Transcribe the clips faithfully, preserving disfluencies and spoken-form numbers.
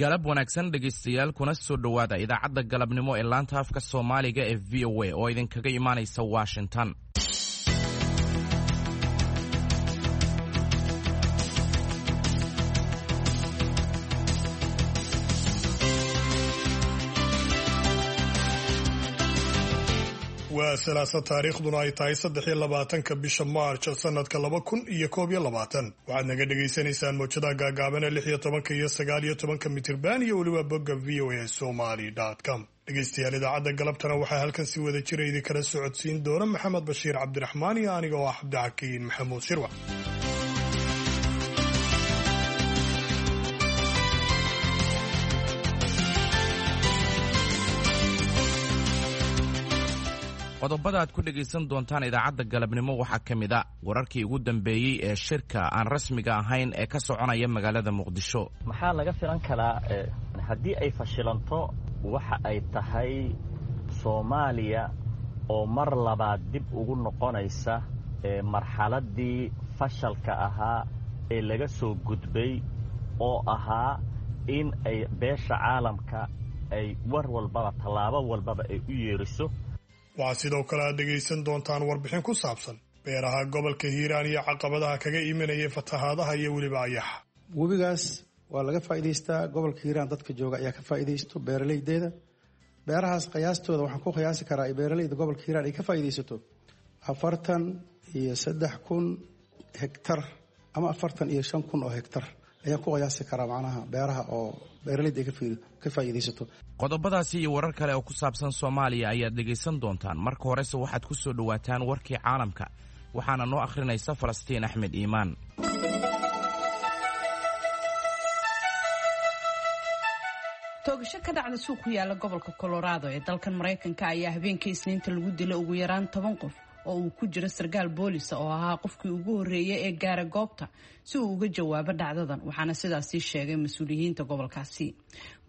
Galab wanaagsan dhegaystayaal, kuna soo dhowaada idaacadda galabnimo ee laanta afka Soomaaliga ee V O A oo idinkaga imaanaysa Washington. Waa Salaasa, taariikhduna ay tahay saddex iyo labaatanka bisha Maarj sanadka laba kun iyo koob iyo labaatan. Waxaad naga dhagaysanaysaan mowjadaha gaagaaban ee lix iyo tobanka iyo sagaal iyo tobanka mitirban iyo weliba bogga V O A Somali com. Dhegaystayaal, idaacadda galabtana waxaa halkan si wada jira idinkala socodsiin doona Maxamed Bashiir Cabdiraxmaan iyo aniga oo ah Cabdixakiin Maxamuud Shirwac. Qodobada aad ku dhegaysan doontaan idaacadda galabnimo waxaa ka mid a wararkii ugu dambeeyey ee shirka aan rasmiga ahayn ee ka soconaya magaalada Muqdisho. Maxaa laga filan karaa haddii ay fashilanto? Waxa ay tahay Soomaaliya oo mar labaad dib ugu noqonaysa marxaladdii fashalka ahaa ee laga soo gudbay, oo ahaa in ay beesha caalamka ay war walbaba, tallaabo walbaba ay u yeeriso. Waxaa sidoo kale aad dhegaysan doontaan warbixin ku saabsan beeraha gobolka Hiiraan iyo caqabadaha kaga imanayay fatahaadaha iyo weliba ayaxa. Webigaas waa laga faa'iidaystaa. Gobolka Hiiraan dadka jooga ayaa ka faa'iidaysto, beeralaydeeda. Beerahaas qiyaastooda waxaan ku qiyaasi karaa ay beeralayda gobolka Hiiraan ay ka faa'iidaysato afartan iyo saddex kun hektar ama afartan iyo shan kun oo hektar ayaan ku qiyaasi karaa, macnaha beeraha oo beeralayda ay ka faa'iidaysato. Qodobadaasi iyo warar kale oo ku saabsan Soomaaliya ayaad dhegaysan doontaan. Marka horese waxaad ku soo dhowaataan warkii caalamka, waxaana noo akhrinaysa Falastiin Axmed Iimaan. Toogasho ka dhacda suuq ku yaala gobolka Colorado ee dalkan Maraykanka ayaa habeenkii Isniinta lagu dilay ugu yaraan toban qof oo uu ku jiro sarkaal boolisa oo ahaa qofkii ugu horreeyay ee gaara goobta si uu uga jawaabo dhacdadan, waxaana sidaasi sheegay mas-uuliyiinta gobolkaasi.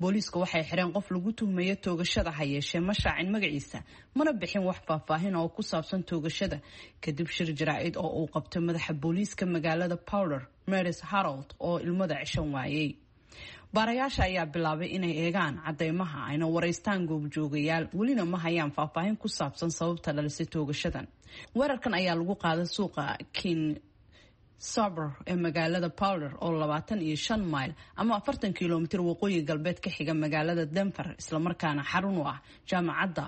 Booliiska waxay xireen qof lagu tuhmayo toogashada, ha yeeshee ma shaacin magaciisa mana bixin wax faahfaahin oo ku saabsan toogashada kadib shir jaraa'id oo uu qabtay madaxa booliiska magaalada Powder, Maris Harold, oo ilmada ceshan waayey. Baarayaasha ayaa bilaabay inay eegaan cadeymaha ayna waraystaan goobjoogayaal, welina ma hayaan faahfaahin ku saabsan sababta dhalisay toogashadan. Weerarkan ayaa lagu qaaday suuqa King Soopers ee magaalada Powder oo labaatan iyo shan mayl ama afartan kilomitir waqooyi galbeed ka xiga magaalada Denver, islamarkaana xarun u ah Jaamacadda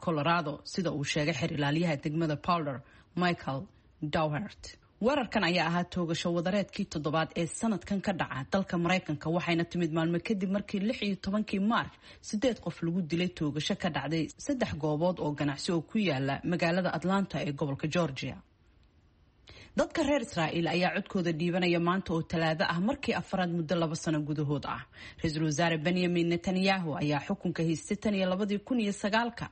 Colorado, sida uu sheegay xer ilaaliyaha degmada Powder, Michael Dowhert. Weerarkan ayaa ahaa toogasho wadareedkii toddobaad ee sanadkan ka dhaca dalka Maraykanka, waxayna timid maalmo kadib markii lix iyo tobankii Maarch sideed qof lagu dilay toogasho ka dhacday saddex goobood oo ganacsi oo ku yaala magaalada Atlanta ee gobolka Georgia. Dadka reer Israa'iil ayaa codkooda dhiibanaya maanta oo Talaado ah, markii afraad muddo laba sano gudahood ah. Ra-iisul wasaare Benyamin Netanyahu ayaa xukunka haystay tan iyo labadii kun iyo sagaalka,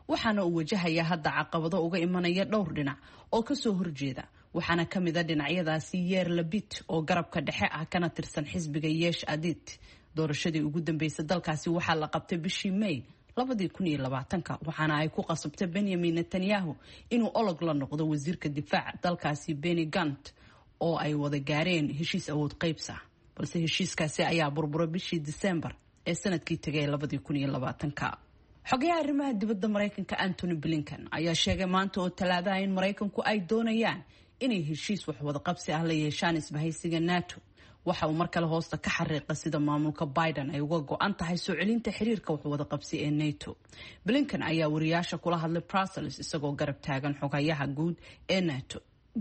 waxaana uu wajahaya hadda caqabado uga imanaya dhowr dhinac oo kasoo horjeeda, waxaana ka mid a dhinacyadaasi Yair Lapid oo garabka dhexe ah kana tirsan xisbiga Yesh Atid. Doorashadii ugu dambeysay dalkaasi waxaa la qabtay bishii May labadii kun iyo labaatanka, waxaana ay ku qasabtay Benyamin Netanyahu inuu olog la noqdo wasiirka difaaca dalkaasi Benny Gantz oo ay wada gaareen heshiis awood qaybsa, balse heshiiskaasi ayaa burburay bishii Disembar ee sanadkii tegay labadii kun iyo labaatanka. Xogayaha arrimaha dibadda Maraykanka Antony Blinken ayaa sheegay maanta oo Talaadaha in Maraykanku ay doonayaan inay heshiis waxwada qabsi ah la yeeshaan isbahaysiga NATO. Waxa uu mar kale hoosta ka xariiqa sida maamulka Biden ay uga go-an tahay soo celinta xiriirka waxwada qabsi ee NATO. Blinken ayaa wariyaasha kula hadlay Brussels isagoo garab taagan xogayaha guud ee NATO,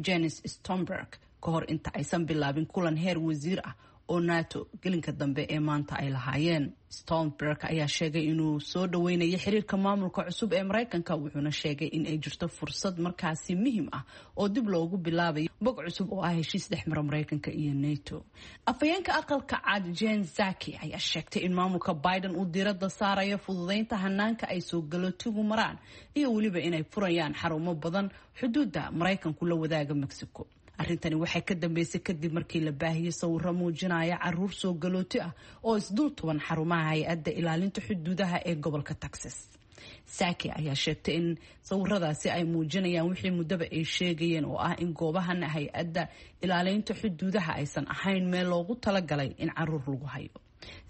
Jens Stoltenberg, ka hor inta aysan bilaabin kulan heer wasiir ah oo NATO gelinka dambe ee maanta ay lahaayeen. Stoltenberg ayaa sheegay inuu soo dhaweynayo xiriirka maamulka cusub ee Maraykanka, wuxuuna sheegay in ay jirto fursad markaasi muhiim ah oo dib loogu bilaabayo bog cusub oo ah heshiis dhexmara Maraykanka iyo NATO. Afhayeenka Aqalka Cad Jen Psaki ayaa sheegtay in maamulka Biden uu diiradda saarayo fududeynta hanaanka ay soo galootigu maraan iyo weliba inay furayaan xarumo badan xuduudda Maraykanku la wadaaga Mexico. Arrintani waxay ka dambeysay kadib markii la baahiyey sawiro muujinaya caruur soo galooti ah oo isdul tuban xarumaha hay-adda ilaalinta xuduudaha ee gobolka Texas. Psaki ayaa sheegtay in sawiradaasi ay muujinayaan wixii muddaba ay sheegayeen, oo ah in goobahan hay-adda ilaaleynta xuduudaha aysan ahayn meel loogu talagalay in caruur lagu hayo.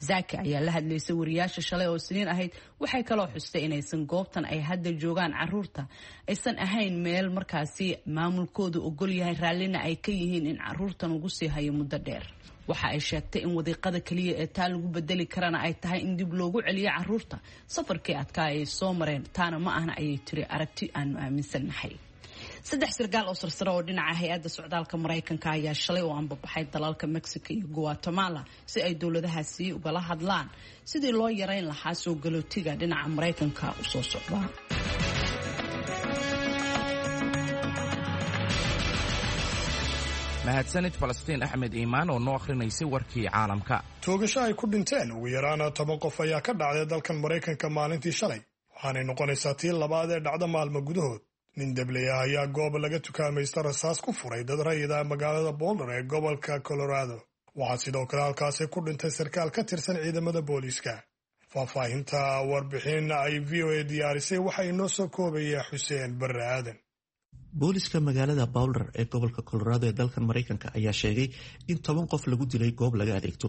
Zaki ayaa la hadlaysay wariyaasha shalay oo Isniin ahayd. Waxay kaloo xustay inaysan goobtan ay hadda joogaan caruurta aysan ahayn meel markaasi maamulkoodu ogol yahay, raallina ay ka yihiin in caruurtan ugu sii hayo muddo dheer. Waxa ay sheegtay in wadiiqada kaliya ee taa lagu bedeli karana ay tahay in dib loogu celiyo caruurta safarkii adkaa ay soo mareen. Taana ma ahna, ayay tiri, aragti aanu aaminsannahay. Saddex sarkaal oo sarsare oo dhinaca hay-adda socdaalka Maraykanka ayaa shalay oo anbabaxay dalalka Mexico iyo Guatemala si ay dowladahaasi ugala hadlaan sidii loo yareyn lahaa soo galootiga dhinaca Maraykanka usoo socda. Mahadsanid Falastiin Axmed Iimaan oo noo akhrinaysay warkii caalamka. Toogasho ay ku dhinteen ugu yaraana toban qof ayaa ka dhacday dalkan Maraykanka maalintii shalay, waxaanay noqonaysaa tii labaad ee dhacda maalmo gudahood. Nin dabley ah ayaa goob laga tukaamaysta rasaas ku furay dad rayida magaalada Boulder ee gobolka Colorado. Waxaa sidoo kale halkaasi ku dhintay sarkaal ka tirsan ciidamada booliiska. Faahfaahinta warbixin ay V O A diyaarisay waxaa inoo soo koobaya Xuseen Barre Aadan. Booliska magaalada Boulder ee gobolka Colorado ee dalkan Maraykanka ayaa sheegay in toban qof lagu dilay goob laga adeegto.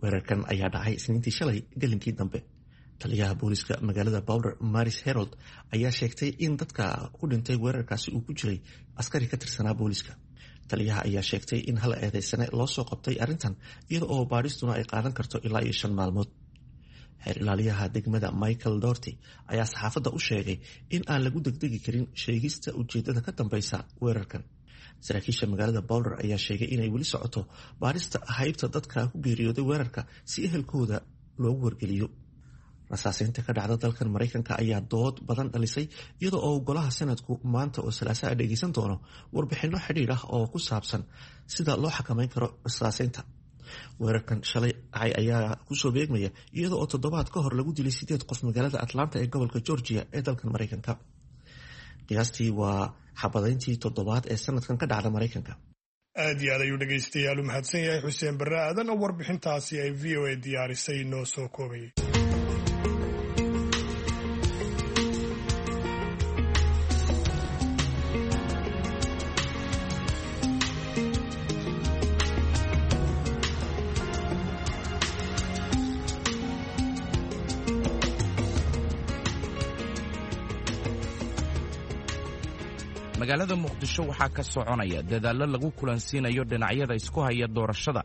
Weerarkan ayaa dhacay Isniintii shalay gelinkii dambe. Taliyaha booliska magaalada Boulder, Maris Herold, ayaa sheegtay in dadka ku dhintay weerarkaasi uu ku jiray askari ka tirsanaa booliska. Taliyaha ayaa sheegtay in hal eedeysane loo soo qabtay arrintan, iyada oo baadhistuna ay qaadan karto ilaa iyo shan maalmood. Xeer ilaaliyaha degmada Michael Dorty ayaa saxaafadda u sheegay in aan lagu degdegi karin sheegista ujeedada ka dambeysa weerarkan. Saraakiisha magaalada Boulder ayaa sheegay inay weli socoto baadhista haybta dadka ku geeriyooday weerarka si ehelkooda loogu wargeliyo. Rasaaseynta ka dhacda dalkan Maraykanka ayaa dood badan dhalisay, iyada oo golaha Sanadku maanta oo Salaasaa dhegeysan doono warbixino xidhiir ah oo ku saabsan sida loo xakameyn karo rasaaseynta. Weerarkan shalay dhacay ayaa kusoo beegmaya iyada oo toddobaad ka hor lagu dilay sideed qof magaalada Atlanta ee gobolka Georgia ee dalkan Maraykanka. Qiyaastii waa xabadayntii toddobaad ee sanadkan ka dhacda Maraykanka. Aad iyo aad ayuu dhegaystayaal u mahadsan yahay Xuseen Barre Aadan oo warbixintaasi ay V O A diyaarisay noo soo koobayay. Magaalada Muqdisho waxaa ka soconaya dadaallo lagu kulansiinayo dhinacyada isku haya doorashada,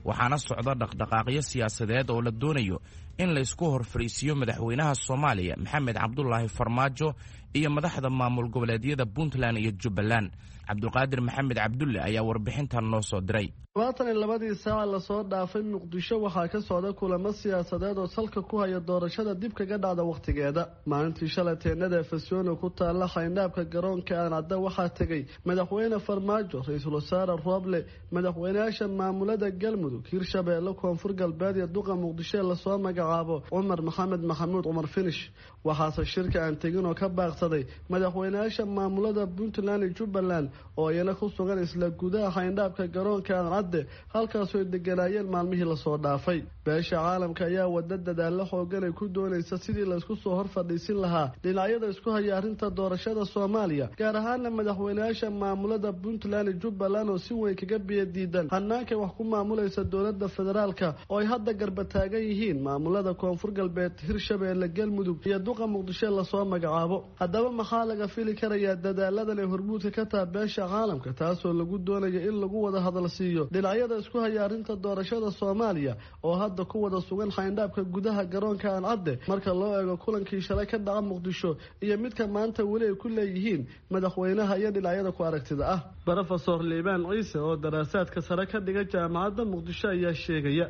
waxaana socda dhaqdhaqaaqyo siyaasadeed oo la doonayo in laysku hor fadhiisiiyo madaxweynaha Soomaaliya Maxamed Cabdulaahi Farmaajo iyo madaxda maamul goboleedyada Puntland iyo Jubbaland. Cabdulqaadir Maxamed Cabdulle ayaa warbixintan noo soo diray. Labaatan iyo labadii saaca lasoo dhaafay Muqdisho waxaa ka socda kulamo siyaasadeed oo salka ku haya doorashada dib kaga dhacda wakhtigeeda. Maalintii shalay teenada Fasyono ku taalla xayndaabka garoonka Aadan Cadde waxaa tegay madaxweyne Farmaajo, ra-iisul wasaare Rooble, madaxweynayaasha maamulada Galmudug, Hirshabeelle, Koonfur Galbeed iyo duqa Muqdisho ee lasoo magacaabo Cumar Maxamed Maxamuud Cumar Finish. Waxaase shirka aan tegin oo ka baaqsaday madaxweynayaasha maamulada Puntland iyo Jubbaland oo iyana ku sugan isla gudaha xayndaabka garoonka Aadan Cadde, halkaasoo ay deganaayeen maalmihii lasoo dhaafay. Beesha caalamka ayaa wada dadaalo xoogan ay ku doonaysa sidii laysku soo hor fadhiisin lahaa dhinacyada isku haya arrinta doorashada Soomaaliya, gaar ahaana madaxweynayaasha maamulada Puntland iyo Jubbaland oo si weyn kaga biyadiidan hanaanka wax ku maamulaysa dowladda federaalka oo ay hadda garba taagan yihiin maamulada Koonfur Galbeed, Hirshabeelle, Galmudug iyo duqa Muqdisho lasoo magacaabo. Haddaba maxaa laga fili karayaa dadaaladan ay hormuudka ka taha beesha caalamka, taasoo lagu doonayo in lagu wada hadal siiyo dhinacyada isku haya arrinta doorashada Soomaaliya oo hadda ku wada sugan xayndaabka gudaha garoonka Aan Cadde, marka loo eego kulankii shalay ka dhaca Muqdisho iyo midka maanta weli ay ku leeyihiin madaxweynaha iyo dhinacyada ku aragtida ah? Brofesor Liibaan Ciise oo daraasaadka sare ka dhiga jaamacadda Muqdisho ayaa sheegaya.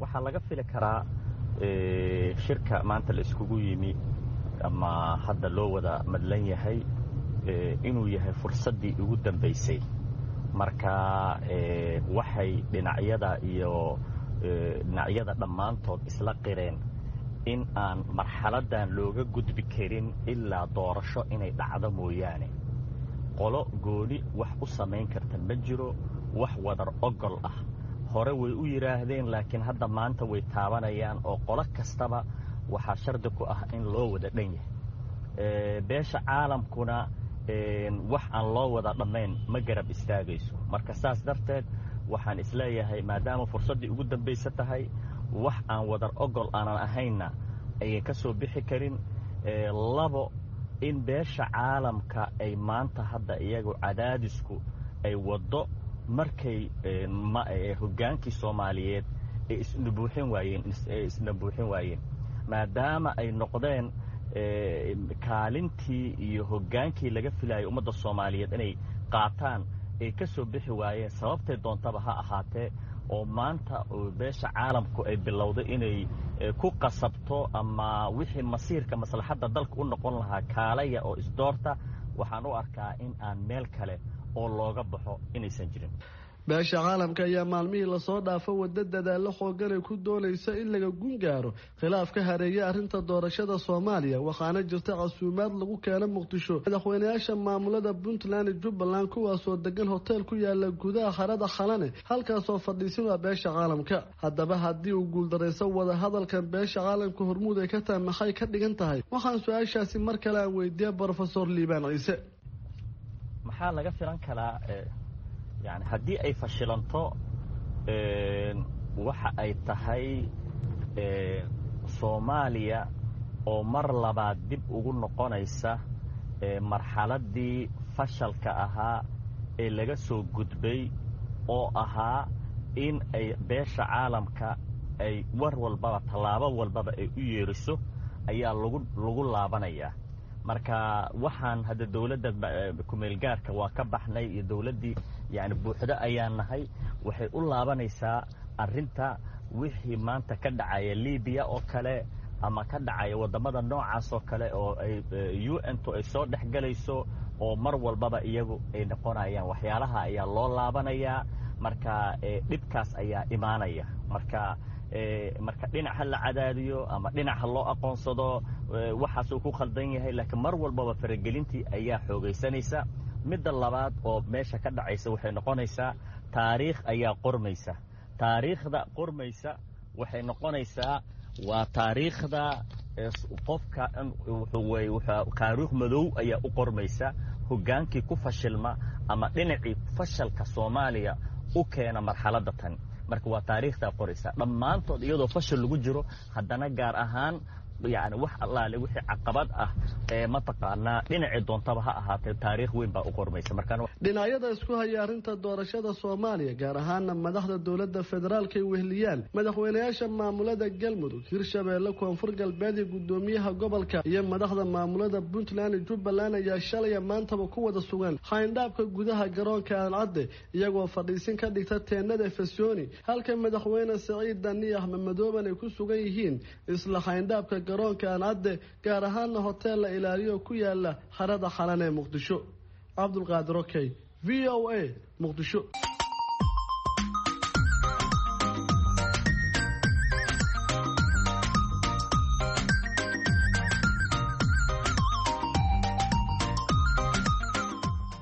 Waxaa laga fili karaa shirka maanta la iskugu yimi ama hadda loo wada madlan yahay inuu yahay fursaddii ugu dambaysay. Marka waxay dhinacyada iyo dhinacyada dhammaantood isla qireen in aan marxaladdan looga gudbi karin ilaa doorasho inay dhacdo mooyaane. Qolo gooni wax u samayn karta ma jiro, wax wadar ogol ah hore way u yidhaahdeen, laakiin hadda maanta way taabanayaan oo qolo kastaba waxaa shardi ku ah in loo wada dhan yahay. Beesha caalamkuna wax aan loo wada dhammayn ma garab istaagayso. Marka saas darteed waxaan isleeyahay maadaama fursaddii ugu dambaysa tahay, Wax aan wadar ogol aanan ahaynna ayan ka soo bixi karin. Labo, in beesha caalamka ay maanta hadda iyagu cadaadisku ay waddo markay hoggaankii Soomaaliyeed ay isna buuxin waayeen ay isna buuxin waayeen maadaama ay noqdeen kaalintii iyo hoggaankii laga filayay ummadda Soomaaliyeed inay qaataan ay ka soo bixi waayeen, sababtay doontaba ha ahaatee, oo maanta beesha caalamku ay bilowday inay ku qasabto ama wixii masiirka maslaxadda dalka u noqon lahaa kaalaya oo isdoorta. Waxaan u arkaa in aan meel kale oo looga baxo inaysan jirin. Beesha caalamka ayaa maalmihii lasoo dhaafo waddo dadaallo xoogan ay ku doonaysa in laga gun gaaro khilaaf ka hareeya arrinta doorashada Soomaaliya, waxaana jirta casuumaad lagu keeno Muqdisho madaxweynayaasha maamulada Puntland iyo Jubbaland, kuwaasoo degan hotel ku yaala gudaha harada Xalane, halkaasoo fadhiisin waa beesha caalamka. Haddaba haddii uu guuldarayso wada hadalkan beesha caalamka hormuud ay ka tahay, maxay ka dhigan tahay? Waxaan su-aashaasi mar kale aan weydiiyey Brofesor Liibaan Ciise. Maxaa laga filan karaa? Yani haddii ay fashilanto, waxa ay tahay Soomaaliya oo mar labaad dib ugu noqonaysa marxaladdii fashalka ahaa ee laga soo gudbay, oo ahaa in ay beesha caalamka ay war walbaba tallaabo walbaba ay u yeeriso ayaa lagu lagu laabanayaa. Marka waxaan hadda dowladda kumeelgaarka waa ka baxnay iyo dowladdii yani buuxdo ayaan nahay. Waxay u laabanaysaa arrinta wixii maanta ka dhacaya Libiya oo kale ama ka dhacaya waddamada noocaas oo kale, oo ay U N tu ay soo dhex galayso, oo mar walbaba iyagu ay noqonayaan waxyaalaha ayaa loo laabanayaa. Marka dhibkaas ayaa imaanaya. Marka marka dhinac ha la cadaadiyo ama dhinac ha loo aqoonsado waxaasuu ku khaldan yahay, laakiin mar walbaba faragelintii ayaa xoogaysanaysa. Midda labaad oo meesha ka dhacaysa waxay noqonaysaa taariikh ayaa qormaysa. Taariikhda qormaysa waxay noqonaysaa waa taariikhda qofka taariikh madow ayaa u qormaysa hoggaankii ku fashilma ama dhinacii fashalka Soomaaliya u keena marxaladda tan. Marka waa taariikhdaa qoraysa dhammaantood iyadoo fashil lagu jiro, haddana gaar ahaan yani wax allaale wixii caqabad ah ee mataqaanaa dhinacii doontaba ha ahaatee, taariikh weyn baa u qormaysa. Marka dhinacyada isku haya arrinta doorashada Soomaaliya, gaar ahaana madaxda dowladda federaalka ay weheliyaan madaxweynayaasha maamulada Galmudug, Hirshabeelle, Koonfur Galbeed iyo guddoomiyaha gobolka, iyo madaxda maamulada Puntland iyo Jubbaland, ayaa shalaya maantaba ku wada sugan xayndhaabka gudaha garoonka Aadan Cadde, iyagoo fadhiisin ka dhigta teenada Fasyooni, halka madaxweyne Saciid Dani, Axmed Madooban ay ku sugan yihiin isla xayndhaabka garoonka Aadan Cadde, gaar ahaana hotel la ilaaliyo ku yaala harada Xalan ee Muqdisho. Cabdulqaadir Okey, V O A, Muqdisho.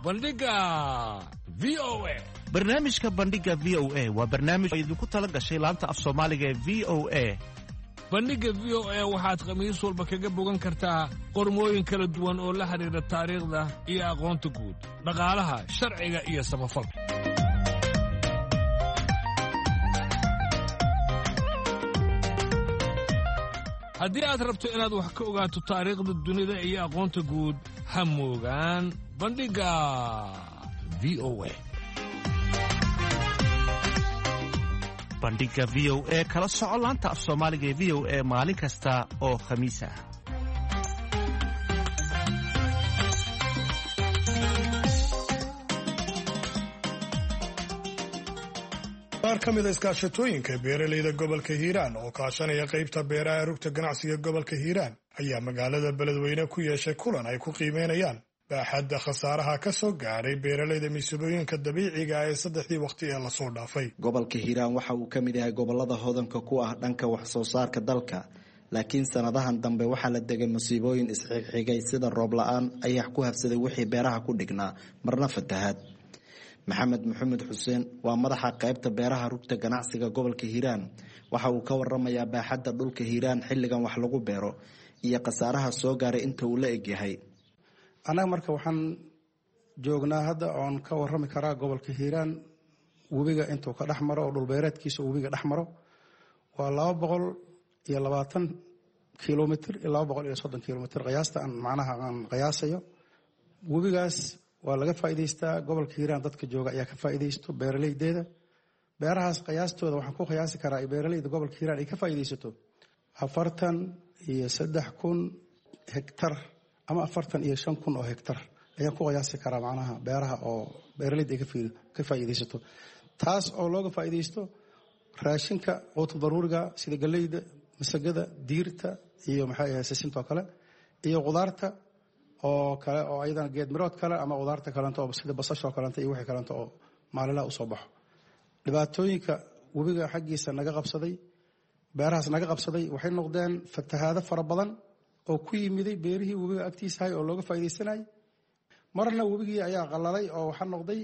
Bandhiga V O A. Barnaamijka Bandhiga V O A waa barnaamij oo idinku tala gashay laanta af Soomaaliga ee V O A. Bandhigga V O A waxaad khamiis walba kaga bogan kartaa qormooyin kala duwan oo la xidhiidha taariikhda iyo aqoonta guud, dhaqaalaha, sharciga iyo samafalka. Haddii aad rabto inaad wax ka ogaato taariikhda dunida iyo aqoonta guud, ha moogaan Bandhigga V O A. Bandhiga V O A kala soco laanta af Soomaaliga ee V O A maalin kasta oo Khamiis ah. Qaar ka mid a iskaashatooyinka beeralayda gobolka Hiiraan oo kaashanaya qaybta beeraha rugta ganacsiga gobolka Hiiraan ayaa magaalada Beledweyne ku yeeshay kulan ay ku qiimeynayaan baaxadda khasaaraha ka soo gaadhay beeralayda masiibooyinka dabiiciga ah ee saddexdii waqti ee lasoo dhaafay. Gobolka Hiiraan waxa uu ka mid yahay gobolada hodanka ku ah dhanka wax soo saarka dalka, laakiin sanadahan dambe waxaa la degay masiibooyin isxigxigay, sida roob la-aan, ayax ku habsaday wixii beeraha ku dhignaa, marna fatahaad. Maxamed Maxamed Xuseen waa madaxa qaybta beeraha rugta ganacsiga gobolka Hiiraan. Waxa uu ka waramayaa baaxadda dhulka Hiiraan xilligan wax lagu beero iyo khasaaraha soo gaaray inta uu la egyahay. Annaga marka waxaan joognaa hadda oon ka warami karaa gobolka Hiiraan webiga intuu ka dhex maro oo dhulbeereedkiisa webiga dhex maro. Waa laba boqol iyo labaatan kilomitr iyo laba boqol iyo soddon kilomitr qiyaasta aan macnaha aan qiyaasayo. Webigaas waa laga faa'iidaystaa, gobolka Hiiraan dadka jooga ayaa ka faa'iidaysto beeraleydeeda. Beerahaas qiyaastooda waxaan ku qiyaasi karaa beeraleyda gobolka Hiiraan ay ka faa'iidaysato afartan iyo saddex kun hektar ama afartan iyo shan kun oo hektar ayaan ku qiyaasi karaa macnaha beeraha oo beeraleyda ay ka faa'iidaysato, taas oo looga faa'iidaysto raashinka quuta daruuriga sida galleyda, masagada, diirta iyo maxay ahayd sisinta oo kale, iyo qudaarta oo kale oo ayadana geed mirood kale ama qudaarta kalento oo sida basasha oo kalento iyo wixii kalento oo maalinlaha usoo baxo. Dhibaatooyinka webiga xaggiisa naga qabsaday, beerahaas naga qabsaday, waxay noqdeen fatahaado fara badan oo ku yimiday beerihii webiga agtiisahay oo looga faa'iidaysanayay. Marna webigii ayaa qalalay oo waxaa noqday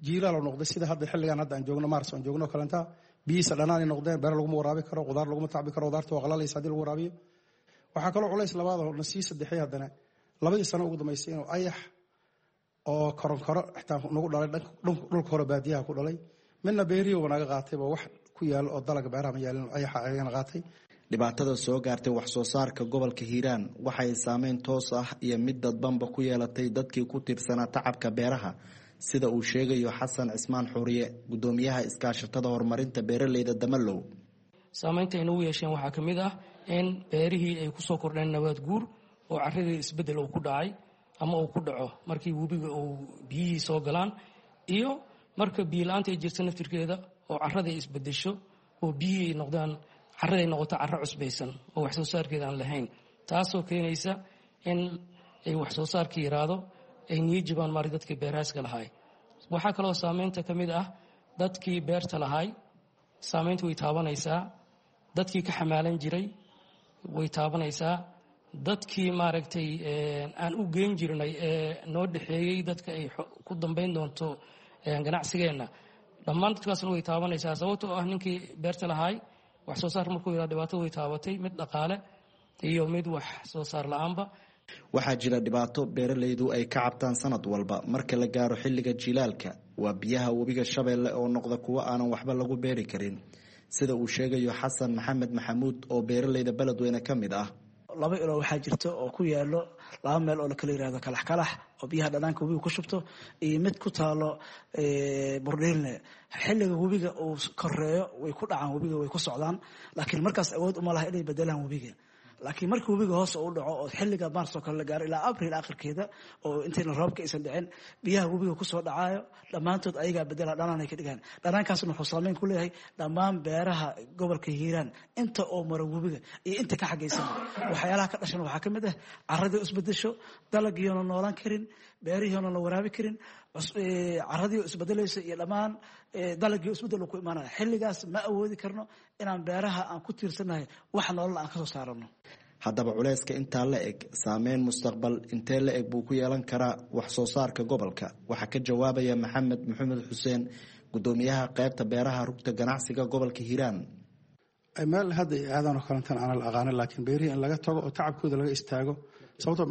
jiilaal oo noqday, sida hadda xilligan hadda aan joogno maars aan joogno kalenta biyihiisa dhanaanay noqdeen, beer laguma waraabi karo, qudaar laguma tacbi karo, qudaarta waa qalalaysa haddii lagu waraabiyo. Waxaa kaloo culays labaad oo na sii saddexay haddana labadii sano ugu dambaysay inuu ayax oo koronkoro xitaa nagu dhalay dhulka hore baadiyaha ku dhalay, midna beerihiiba naga qaatayba wax ku yaalo oo dalaga beeraha ma yaalin, ayaxa ayagana qaatay. Dhibaatada soo gaartay wax soo saarka gobolka Hiiraan waxay saameyn toos ah iyo mid dadbanba ku yeelatay dadkii ku tiirsanaa tacabka beeraha, sida uu sheegayo Xasan Cismaan Xuriye, gudoomiyaha iskaashatada horumarinta beeraleyda Damalow. Saameynta ay nagu yeesheen waxaa ka mid ah in beerihii ay kusoo kordheen nabaad guur oo carradii isbeddel uu ku dhacay ama uu ku dhaco markii webiga uu biyihii soo galaan, iyo marka biyo la-aanta ay jirto naftirkeeda oo carrada ay isbedesho oo biyihii ay noqdaan carrada ay noqoto carro cusbaysan oo wax soo saarkeeda aan lahayn, taasoo keenaysa in ay wax soo saarka yaraado, ay niyo jibaan maari dadkii beeraaska lahaay. Waxaa kaloo saameynta ka mid ah dadkii beerta lahaay, saameynta way taabanaysaa dadkii ka xamaalan jiray, way taabanaysaa dadkii maaragtay aan u geyn jirnay ee noo dhexeeyey dadka ay ku dambayn doonto ganacsigeenna, dhammaan dadkaasna way taabanaysaa. Sababtoo ah ninkii beerta lahaay wax soo saar markuu yaraa dhibaato way taabatay, mid dhaqaale iyo mid wax soo saar la-aanba. Waxaa jira dhibaato beeralaydu ay ka cabtaan sanad walba marka la gaaro xilliga jilaalka, waa biyaha webiga Shabeelle oo noqda kuwo aanan waxba lagu beeri karin, sida uu sheegayo Xasan Maxamed Maxamuud oo beeralayda beledweyne ka mid ah. Laba ilo waxaa jirta oo ku yaalo laba meel oo lakala yirahdo kalaxkalax oo biyaha dhanaanka webiga ku shubto, iyo mid ku taalo Burdhiilne. Xilliga webiga uu koreeyo way ku dhacaan webiga, way ku socdaan, laakiin markaas awood uma laha inay bedelaan webiga. Laakiin markii webiga hoos u dhaco oo xilliga maars oo kale la gaaro ilaa abriil akhirkeeda oo intayna roobka aysan dhicin, biyaha webiga kusoo dhacaayo dhammaantood ayagaa bedela dhanaanay ka dhigaan. Dhanaankaasna wuxuu saameyn ku leeyahay dhammaan beeraha gobolka Hiiraan inta oo mara webiga iyo inta ka xagaysan. Waxyaalaha ka dhashan waxaa ka mid ah carradii isbedesho, dalagiiona noolaan karin, beerihiiona la waraabi karin, carradii isbedelaysa iyo dhammaan dalagii isbedel ku imaanaya. Xilligaas ma awoodi karno inaan beeraha aan ku tiirsannahay wax nolol aan kasoo saarano. Haddaba culayska intaa la eg saameyn mustaqbal intee la eg buu ku yeelan karaa wax soo saarka gobolka? Waxaa ka jawaabaya Maxamed Maxamed Xuseen, gudoomiyaha qaybta beeraha rugta ganacsiga gobolka Hiiraan. Meel hadda aadan oo kalentan aanan la aqaanin, laakiin beerihii in laga tago oo tacabkooda laga istaago, sababto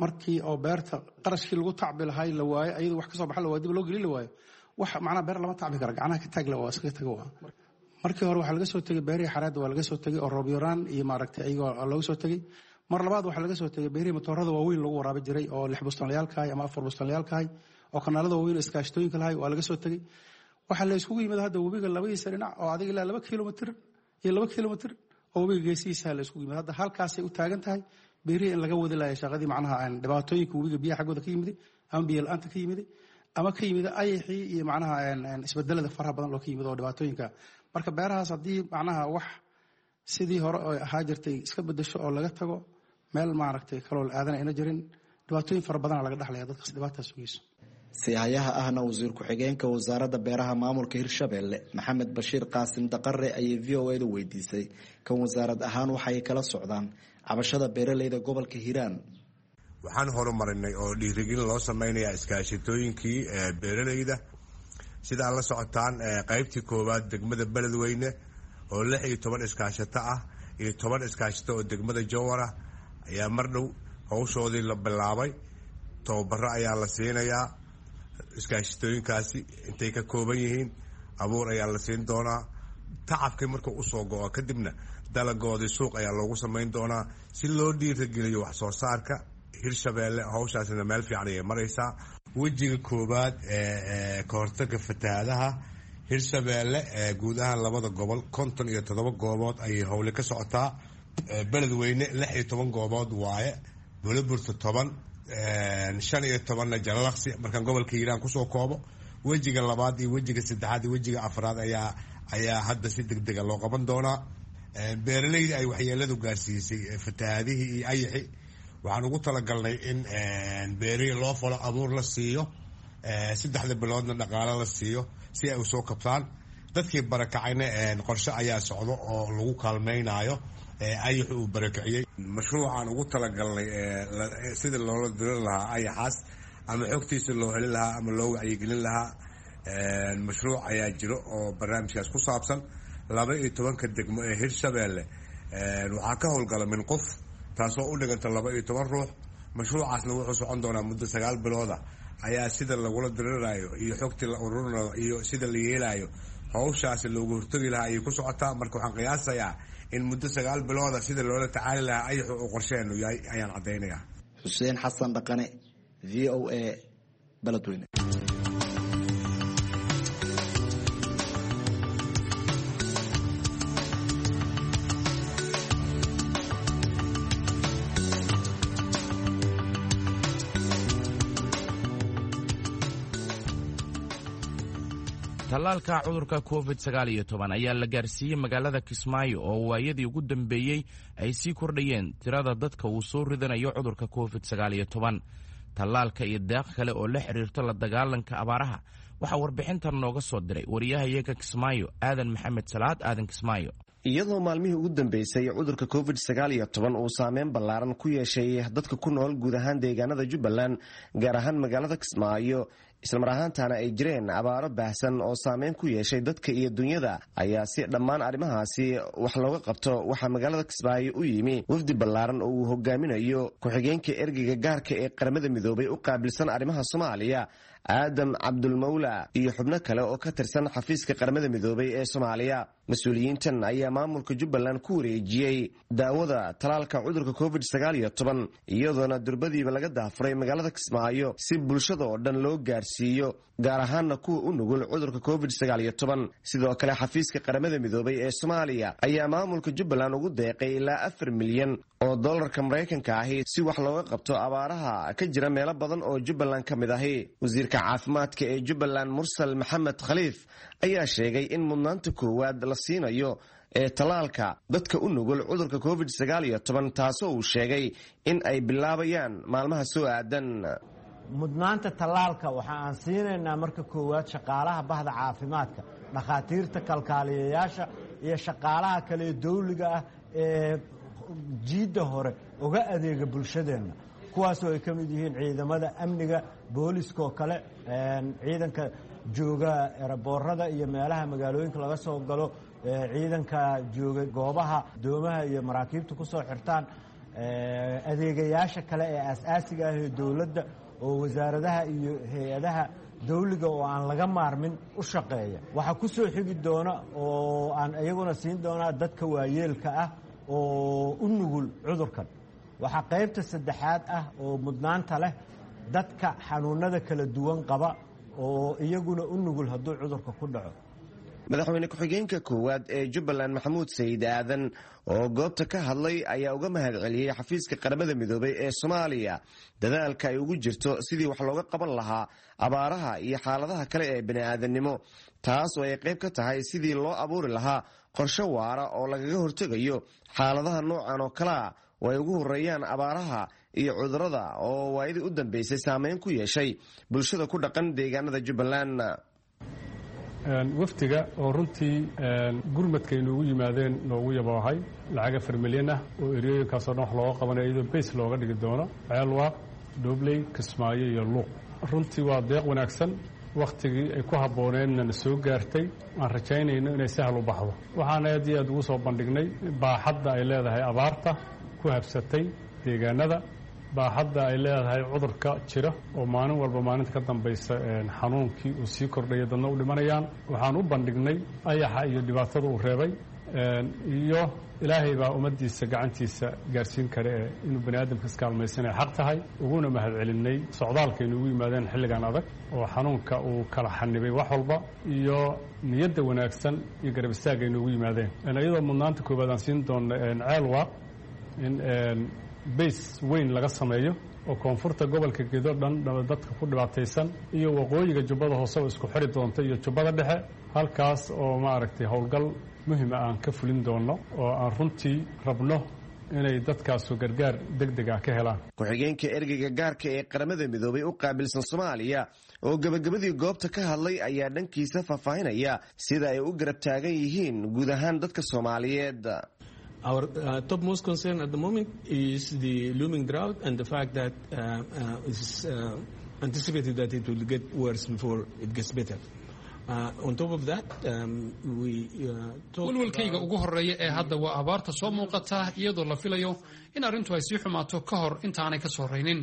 markii oo beerta qarashkii lagu tacbi lahay la waayo, ayadu wax kasoo baxa la waayo, dib loo gelin la waayo, wax macnaha beer lama tacbi kara, gacnaha ka taag la waa iskaga tago waa. Markii hore waxaa laga soo tegey beerihii xareedda waa laga soo tegey oo roob yaraan iyo maaragtay ayagoo looga soo tegey. Mar labaad waxaa laga soo tegey beerihii matoorada waaweyn lagu waraabi jiray oo lix bustanlayaalkahay ama afar bustanlayaalkahay oo kanaalada waaweyn oo iskaashatooyinka lahay waa laga soo tegey. Waxaa la iskugu yimid hadda webiga labadiisa dhinac oo adiga ilaa laba kilomitr iyo laba kilomitr oo webiga geesihiisa la iskugu yimid. Hadda halkaasay u taagan tahay beerihii in laga wadi laaya shaqadii macnaha aan dhibaatooyinka webiga biyaha xaggooda ka yimiday ama biyo la-aanta ka yimiday ama ka yimid ayaxii iyo macnaha isbedelada faraha badan oo ka yimid oo dhibaatooyinka. Marka beerahaas haddii macnaha wax sidii hore oo ahaa jirtay iska bedesho oo laga tago meel maaragtay kaloo la aadan ayna jirin, dhibaatooyin fara badana laga dhexlaya dadkaas dhibaataas sugayso. Sihayaha ahna wasiir ku-xigeenka wasaaradda beeraha maamulka Hirshabelle Maxamed Bashiir Qaasim Daqare ayay V O A-da weydiisay kan wasaarad ahaan waxay kala socdaan cabashada beeralayda gobolka Hiiraan. Waxaan horumarinay oo dhiirigelin loo sameynayaa iskaashatooyinkii beeralayda. Sida aad la socotaan qaybtii koowaad degmada Beledweyne oo lix iyo toban iskaashato ah iyo toban iskaashato oo degmada Jowhar ah ayaa mar dhow howshoodii la bilaabay. Tababaro ayaa la siinayaa iskaashatooyinkaasi intay ka kooban yihiin, abuur ayaa la siin doonaa, Tacabkii markuu usoo go-o kadibna dalagoodii suuq ayaa loogu samayn doonaa si loo dhiirageliyo wax soo saarka Hirshabeelle. Hawshaasina meel fiican ayay maraysaa. Wejiga koowaad ee ka hortaga fatahaadaha Hirshabeelle ee guud ahaan labada gobol konton iyo toddoba goobood ayay howle ka socotaa. Beledweyne lix iyo toban goobood waaye, Buloburta toban, shan iyo tobanna Jalalaqsi. Markaan gobolka Hiiraan kusoo koobo, wejiga labaad iyo wejiga saddexaad iyo wejiga afraad ayaa ayaa hadda si deg dega loo qaban doonaa. Beeraleyda ay waxyeeladu gaarsiisay fatahaadihii iyo ayaxi waxaan ugu talagalnay in beerihii loo falo, abuur la siiyo, saddexda biloodna dhaqaalo la siiyo si ay usoo kabtaan. Dadkii barakacayna qorshe ayaa socdo oo lagu kaalmaynayo ayaxu uu barakiciyey. Mashruucaan ugu talagalnay sida loola dirin lahaa ayaxaas ama xogtiisa loo helin lahaa ama loo wacyigelin lahaa, mashruuc ayaa jiro oo barnaamijkaas ku saabsan. Laba iyo tobanka degmo ee Hirshabeelle waxaa ka howlgala min qof, taasoo u dhiganta laba iyo toban ruux. Mashruucaasna wuxuu socon doonaa muddo sagaal bilooda ayaa sida lagula diriraayo iyo xogtii la ururinayo iyo sida la yeelayo hawshaasi loogu hortagi lahaa ayay ku socotaa. Marka waxaan qiyaasayaa in muddo sagaal bilooda sida loola tacaali lahaa ayaxu uu qorsheenu yahay ayaan caddaynaya. Xuseen Xasan Dhaqane, V O A, Beledweyne. Tallaalka cudurka covid sagaal iyo toban ayaa la gaarsiiyey magaalada Kismaayo oo waayadii ugu dambeeyey ay sii kordhayeen tirada dadka uu soo ridanayo cudurka covid sagaal iyo toban. Tallaalka iyo deeq kale oo la xiriirta la dagaalanka abaaraha waxaa warbixintan nooga soo diray wariyahayaga Kismaayo, Aadan Maxamed Salaad Aadan Kismaayo. Iyadoo maalmihii ugu dambeysay cudurka covid sagaal iyo toban uu saameyn ballaaran ku yeeshay dadka ku nool guud ahaan deegaanada Jubbaland, gaar ahaan magaalada Kismaayo, islamar ahaantaana ay jireen abaaro baahsan oo saameyn ku yeeshay dadka iyo dunyada, ayaa si dhammaan arrimahaasi wax looga qabto waxaa magaalada Kismaayo u yimi wafdi ballaaran oo uu hogaaminayo ku-xigeenka ergeyga gaarka ee Qaramada Midoobay u qaabilsan arrimaha Soomaaliya, Aadam Cabdulmawla, iyo xubno kale oo ka tirsan xafiiska Qaramada Midoobay ee Soomaaliya. Mas-uuliyiintan ayaa maamulka Jubbaland ku wareejiyey daawada talaalka cudurka covid sagaal iyo toban, iyadoona durbadiiba laga daafuray magaalada Kismaayo si bulshada oo dhan loo gaarsiiyo, gaar ahaana kuwa u nugul cudurka covid sagaal iyo toban. Sidoo kale xafiiska Qaramada Midoobay ee Soomaaliya ayaa maamulka Jubbaland ugu deeqay ilaa afar milyan oo dollarka Maraykanka ahi si wax looga qabto abaaraha ka jira meelo badan oo Jubbaland ka mid ahi. Wasiirka caafimaadka ee Jubbaland, Mursal Maxamed Khaliif, ayaa sheegay in mudnaanta koowaad la siinayo ee tallaalka dadka u nugul cudurka covid sagaal iyo toban, taasoo uu sheegay in ay bilaabayaan maalmaha soo aadan. Mudnaanta tallaalka waxa aan siinaynaa marka koowaad shaqaalaha bahda caafimaadka, dhakhaatiirta, kalkaaliyayaasha iyo shaqaalaha kale ee dawliga ah ee jiidda hore uga adeega bulshadeenna, kuwaasoo ay ka mid yihiin ciidamada amniga, booliska oo kale, ciidanka jooga eraboorada iyo meelaha magaalooyinka laga soo galo, ciidanka jooga goobaha doomaha iyo maraakiibta ku soo xirtaan, adeegayaasha kale ee aas-aasiga ah ee dowladda oo wasaaradaha iyo hay-adaha dawliga oo aan laga maarmin u shaqeeya. Waxaa ku soo xigi doona oo aan iyaguna siin doonaa dadka waayeelka ah oo u nugul cudurkan. Waxaa qaybta saddexaad ah oo mudnaanta leh dadka xanuunada kala duwan qaba oo iyaguna u nugul hadduu cudurka ku dhaco. Madaxweyne ku-xigeenka koowaad ee Jubbaland, Maxamuud Sayid Aadan, oo goobta ka hadlay ayaa uga mahad celiyey xafiiska Qaramada Midoobay ee Soomaaliya dadaalka ay ugu jirto sidii wax looga qaban lahaa abaaraha iyo xaaladaha kale ee bini'aadannimo, taas oo ay qayb ka tahay sidii loo abuuri lahaa qorshe waara oo lagaga hortegayo xaaladaha noocan oo kalea oo ay ugu horreeyaan abaaraha iyo cudurada oo waayadii u dambeysay saameyn ku yeeshay bulshada ku dhaqan deegaanada Jubbaland. Wafdiga oo runtii gurmadka inoogu yimaadeen noogu yaboohay lacag afar milyan ah oo eriyooyinkaasoo dhan wax looga qabanayo, iyadoo bays looga dhigi doono Ceelwaaq, Dhobley, Kismaayo iyo Luuq. Runtii waa deeq wanaagsan, wakhtigii ay ku habbooneenna na soo gaartay, aan rajaynayno inay sahal u baxdo. Waxaan aad iyo aad ugu soo bandhignay baaxadda ay leedahay abaarta ku habsatay deegaanada Baaxadda ay leedahay cudurka jira oo maalin walba maalinta ka dambaysa xanuunkii uu sii kordhaya, dadna u dhimanayaan. Waxaan u bandhignay ayaxa iyo dhibaatada uu reebay, iyo Ilaahay baa ummaddiisa gacantiisa gaarsiin kara ee inuu bani aadamka iskaalmaysanaya xaq tahay. Uguna mahadcelinay socdaalka inugu yimaadeen xilligan adag oo xanuunka uu kala xanibay wax walba, iyo niyadda wanaagsan iyo garab istaagga inugu yimaadeen, iyadoo mudnaanta koowaad aan siin doonno Ceelwaaq in bays weyn laga sameeyo oo koonfurta gobolka Gedo dhan dadka ku dhibaataysan iyo waqooyiga Jubbada Hoose oo isku xiri doonta iyo Jubbada Dhexe, halkaas oo maaragtay howlgal muhima aan ka fulin doonno oo aan runtii rabno inay dadkaasu gargaar deg deg ah ka helaan. Ku-xigeenka ergeyga gaarka ee Qaramada Midoobay u qaabilsan Soomaaliya oo gebagabadii goobta ka hadlay ayaa dhankiisa faahfaahinaya sida ay u garab taagan yihiin guud ahaan dadka Soomaaliyeed. Our uh, topmost concern at the moment is the looming drought and the fact that uh, uh, it's uh, anticipated that it will get worse before it gets better. Uh, on top of that, um, we uh, Walwalkayga ugu horeeya ee hadda waa abaarta soo muuqata, iyadoo la filayo in arrintu ay sii xumaato ka hor intaanay ka soo raynin.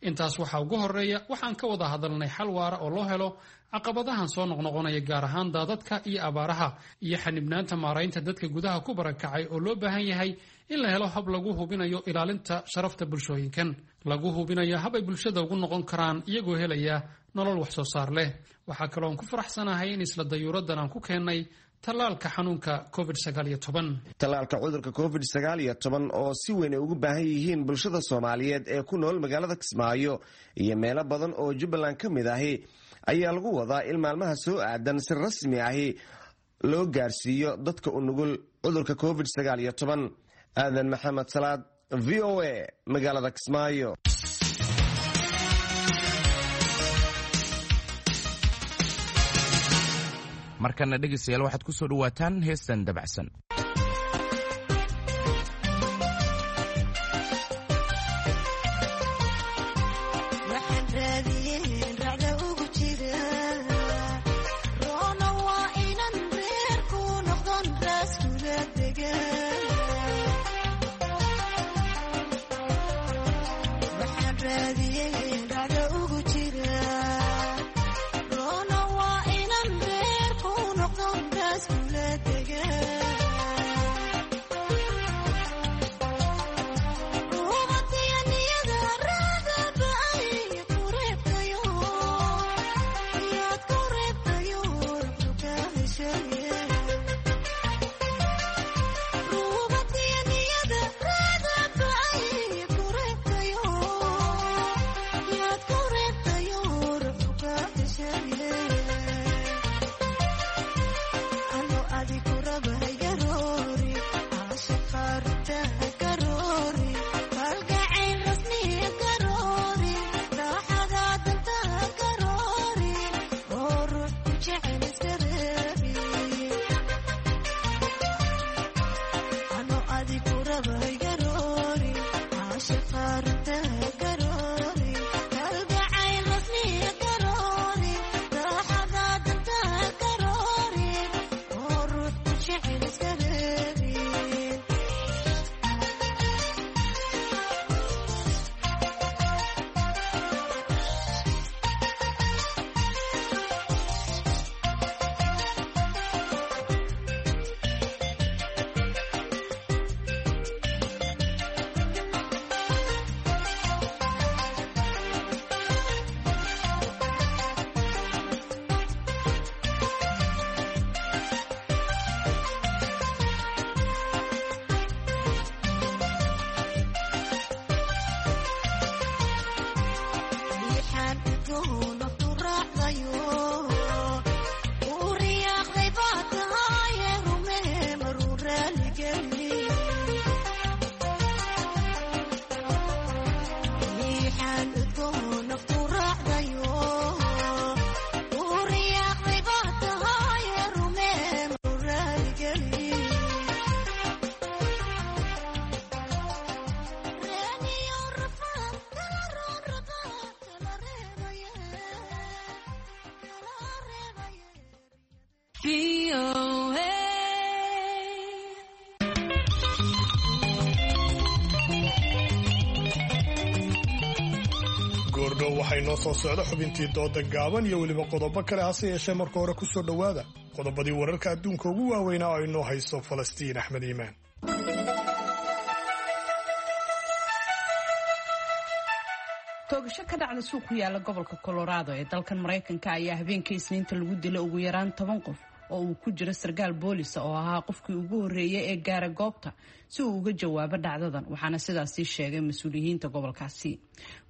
Intaas waxaa ugu horeeya waxaan ka wada hadalnay xal waara oo loo helo caqabadahan soo noqnoqonaya, gaar ahaan daadadka iyo abaaraha iyo xanibnaanta maaraynta dadka gudaha ku barakacay, oo loo baahan yahay in la helo hab lagu hubinayo ilaalinta sharafta bulshooyinkan, lagu hubinayo hab ay bulshada ugu noqon karaan iyagoo helaya nolol wax soo saar leh. Waxaa kaloo aan ku faraxsanahay in isla dayuuraddan aan ku keennay tallaalka xanuunka covid sagaal iyo toban. Tallaalka cudurka covid sagaal iyo toban oo si weyn ay ugu baahan yihiin bulshada Soomaaliyeed ee ku nool magaalada Kismaayo iyo meelo badan oo Jubbaland ka mid ahi ayaa lagu wadaa in maalmaha soo aadan si rasmi ahi loo gaarsiiyo dadka u nugul cudurka covid sagaal iyo toban. Aadan Maxamed Salaad, V O A, magaalada Kismaayo. Markana dhegeystayaal, waxaad ku soo dhowaataan heestan dabacsan. Waxay noo soo socda xubintii dooda gaaban iyo weliba qodobo kale, hase yeeshee marka hore ku soo dhowaada qodobadii wararka adduunka ugu waaweynaa oo inoo hayso Falastiin Axmed Iimaan. Toogasho ka dhacda suuq ku yaala gobolka Colorado ee dalkan Maraykanka ayaa habeenkii Isniinta lagu dilay ugu yaraan toban qof oo uu ku jiro sarkaal boolisa oo ahaa qofkii ugu horreeyay ee gaara goobta si uu uga jawaabo dhacdadan, waxaana sidaasi sheegay mas-uuliyiinta gobolkaasi.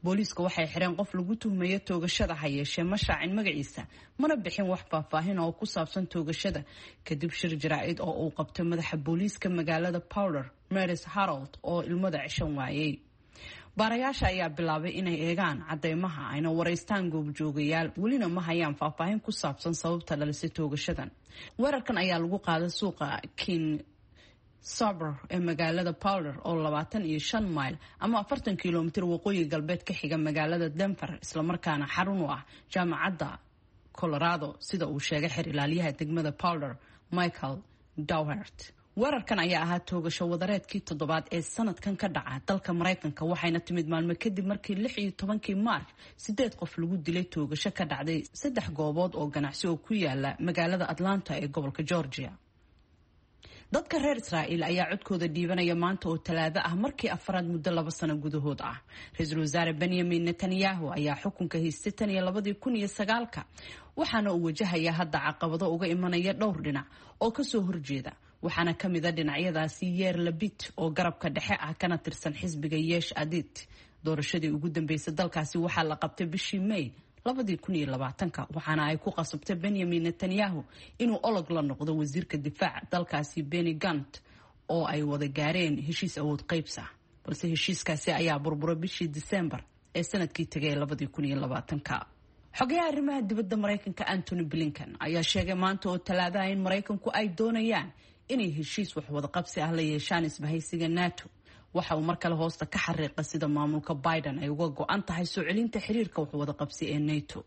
Booliiska waxay xireen qof lagu tuhmayo toogashada, ha yeeshee ma shaacin magaciisa mana bixin wax faahfaahin oo ku saabsan toogashada. Kadib shir jaraa'id oo uu qabtay madaxa booliiska magaalada Powder, Maris Harold, oo ilmada ceshan waayey. Baarayaasha ayaa bilaabay inay eegaan cadeymaha ayna waraystaan goobjoogayaal, welina ma hayaan faahfaahin ku saabsan sababta dhalisay toogashadan. Weerarkan ayaa lagu qaaday suuqa King Sober ee magaalada Powder oo labaatan iyo shan mayl ama afartan kilomitir waqooyi galbeed ka xiga magaalada Denver, islamarkaana xarun u ah jaamacadda Colorado, sida uu sheegay xer ilaaliyaha degmada Powder Michael Dowhert. Weerarkan ayaa ahaa toogasho wadareedkii toddobaad ee sanadkan ka dhaca dalka Maraykanka, waxayna timid maalmo kadib markii lix iyo tobankii Maarch sideed qof lagu dilay toogasho ka dhacday saddex goobood oo ganacsi oo ku yaala magaalada Atlanta ee gobolka Georgia. Dadka reer Israa'iil ayaa codkooda dhiibanaya maanta oo Talaado ah markii afraad muddo laba sano gudahood ah. Ra-iisul wasaare Benyamin Netanyahu ayaa xukunka haystay tan iyo labadii kun iyo sagaalka, waxaana uu wajahayaa hadda caqabado uga imanaya dhowr dhinac oo kasoo horjeeda, waxaana ka mid a dhinacyadaasi Yeer Labit oo garabka dhexe ah kana tirsan xisbiga Yeesh Adid. Doorashadii ugu dambeysay dalkaasi waxaa la qabtay bishii May labadii kun iyo labaatanka, waxaana ay ku qasabtay Benyamin Netanyahu inuu olog la noqdo wasiirka difaaca dalkaasi Benny Gant oo ay wada gaareen heshiis awood qaybsa, balse heshiiskaasi ayaa burburay bishii Disembar ee sanadkii tegay labadii kun iyo labaatanka. Xogayaha arrimaha dibadda Maraykanka Antony Blinken ayaa sheegay maanta oo Talaadaha in Maraykanku ay doonayaan inay heshiis waxwadaqabsi ah la yeeshaan isbahaysiga NATO. Waxa uu mar kale hoosta ka xariiqa sida maamulka Biden ay uga go-an tahay soo celinta xiriirka waxwadaqabsi ee NATO.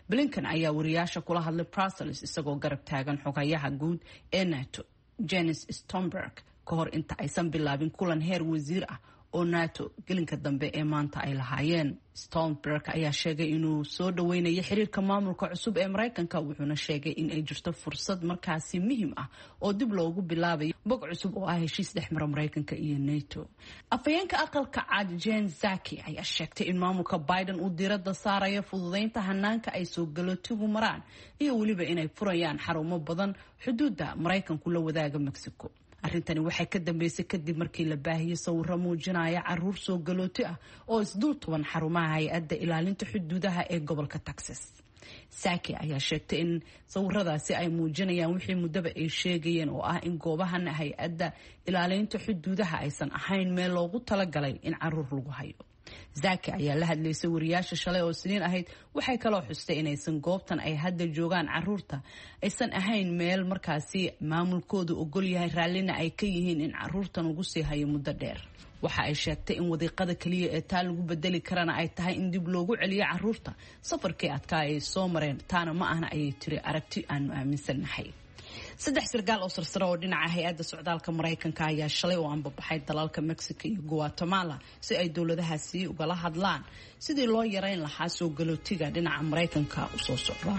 Blinken ayaa wariyaasha kula hadlay Brussels isagoo garab taagan xogayaha guud ee NATO Jens Stoltenberg ka hor inta aysan bilaabin kulan heer wasiir ah oo NATO gelinka dambe ee maanta ay lahaayeen. Stoltenberg ayaa sheegay inuu soo dhaweynayo xiriirka maamulka cusub ee Maraykanka, wuxuuna sheegay in ay jirto fursad markaasi muhiim ah oo dib loogu bilaabayo bog cusub oo ah heshiis dhexmara Maraykanka iyo NATO. Afhayeenka aqalka cad Jen Psaki ayaa sheegtay in maamulka Biden uu diiradda saarayo fududeynta hanaanka ay soo galootigu maraan iyo weliba inay furayaan xarumo badan xuduudda Maraykanku la wadaaga Mexico. Arrintani waxay ka dambeysay kadib markii la baahiyey sawiro muujinaya caruur soo galooti ah oo isdul tuban xarumaha hay-adda ilaalinta xuduudaha ee gobolka Texas. Saaki ayaa sheegtay in sawiradaasi ay muujinayaan wixii muddaba ay sheegayeen oo ah in goobahan hay-adda ilaalinta xuduudaha aysan ahayn meel loogu talagalay in caruur lagu hayo. Zaki ayaa la hadlaysay wariyaasha shalay oo Siniin ahayd. Waxay kaloo xustay inaysan goobtan ay hadda joogaan caruurta aysan ahayn meel markaasi maamulkoodu ogol yahay, raallina ay ka yihiin in caruurtan ugu sii hayo muddo dheer. Waxa ay sheegtay in wadiiqada kaliya ee taa lagu bedeli karana ay tahay in dib loogu celiyo caruurta safarkii adkaa ay soo mareen, taana ma ahna ayay tiri aragti aanu aaminsannahay. Saddex sarkaal oo sarsare oo dhinaca hay-adda socdaalka Maraykanka ayaa shalay oo anbabaxay dalalka Mexico iyo Guatemala si ay dowladahaasi ugala hadlaan sidii loo yareyn lahaa soo galootiga dhinaca Maraykanka usoo socda.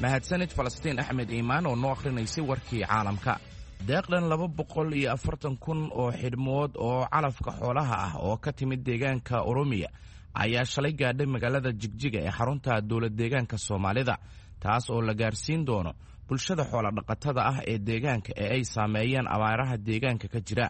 Mahadsanid Falastiin Axmed Iimaan oo noo akhrinaysay warkii caalamka. Deeqdan laba boqol iyo afartan kun oo xidhmood oo calafka xoolaha ah oo ka timid deegaanka Oromiya ayaa shalay gaadhay magaalada Jigjiga ee xarunta dowlad deegaanka Soomaalida, taas oo la gaarsiin doono bulshada xooladhaqatada ah ee deegaanka ee ay saameeyeen abaaraha deegaanka ka jira.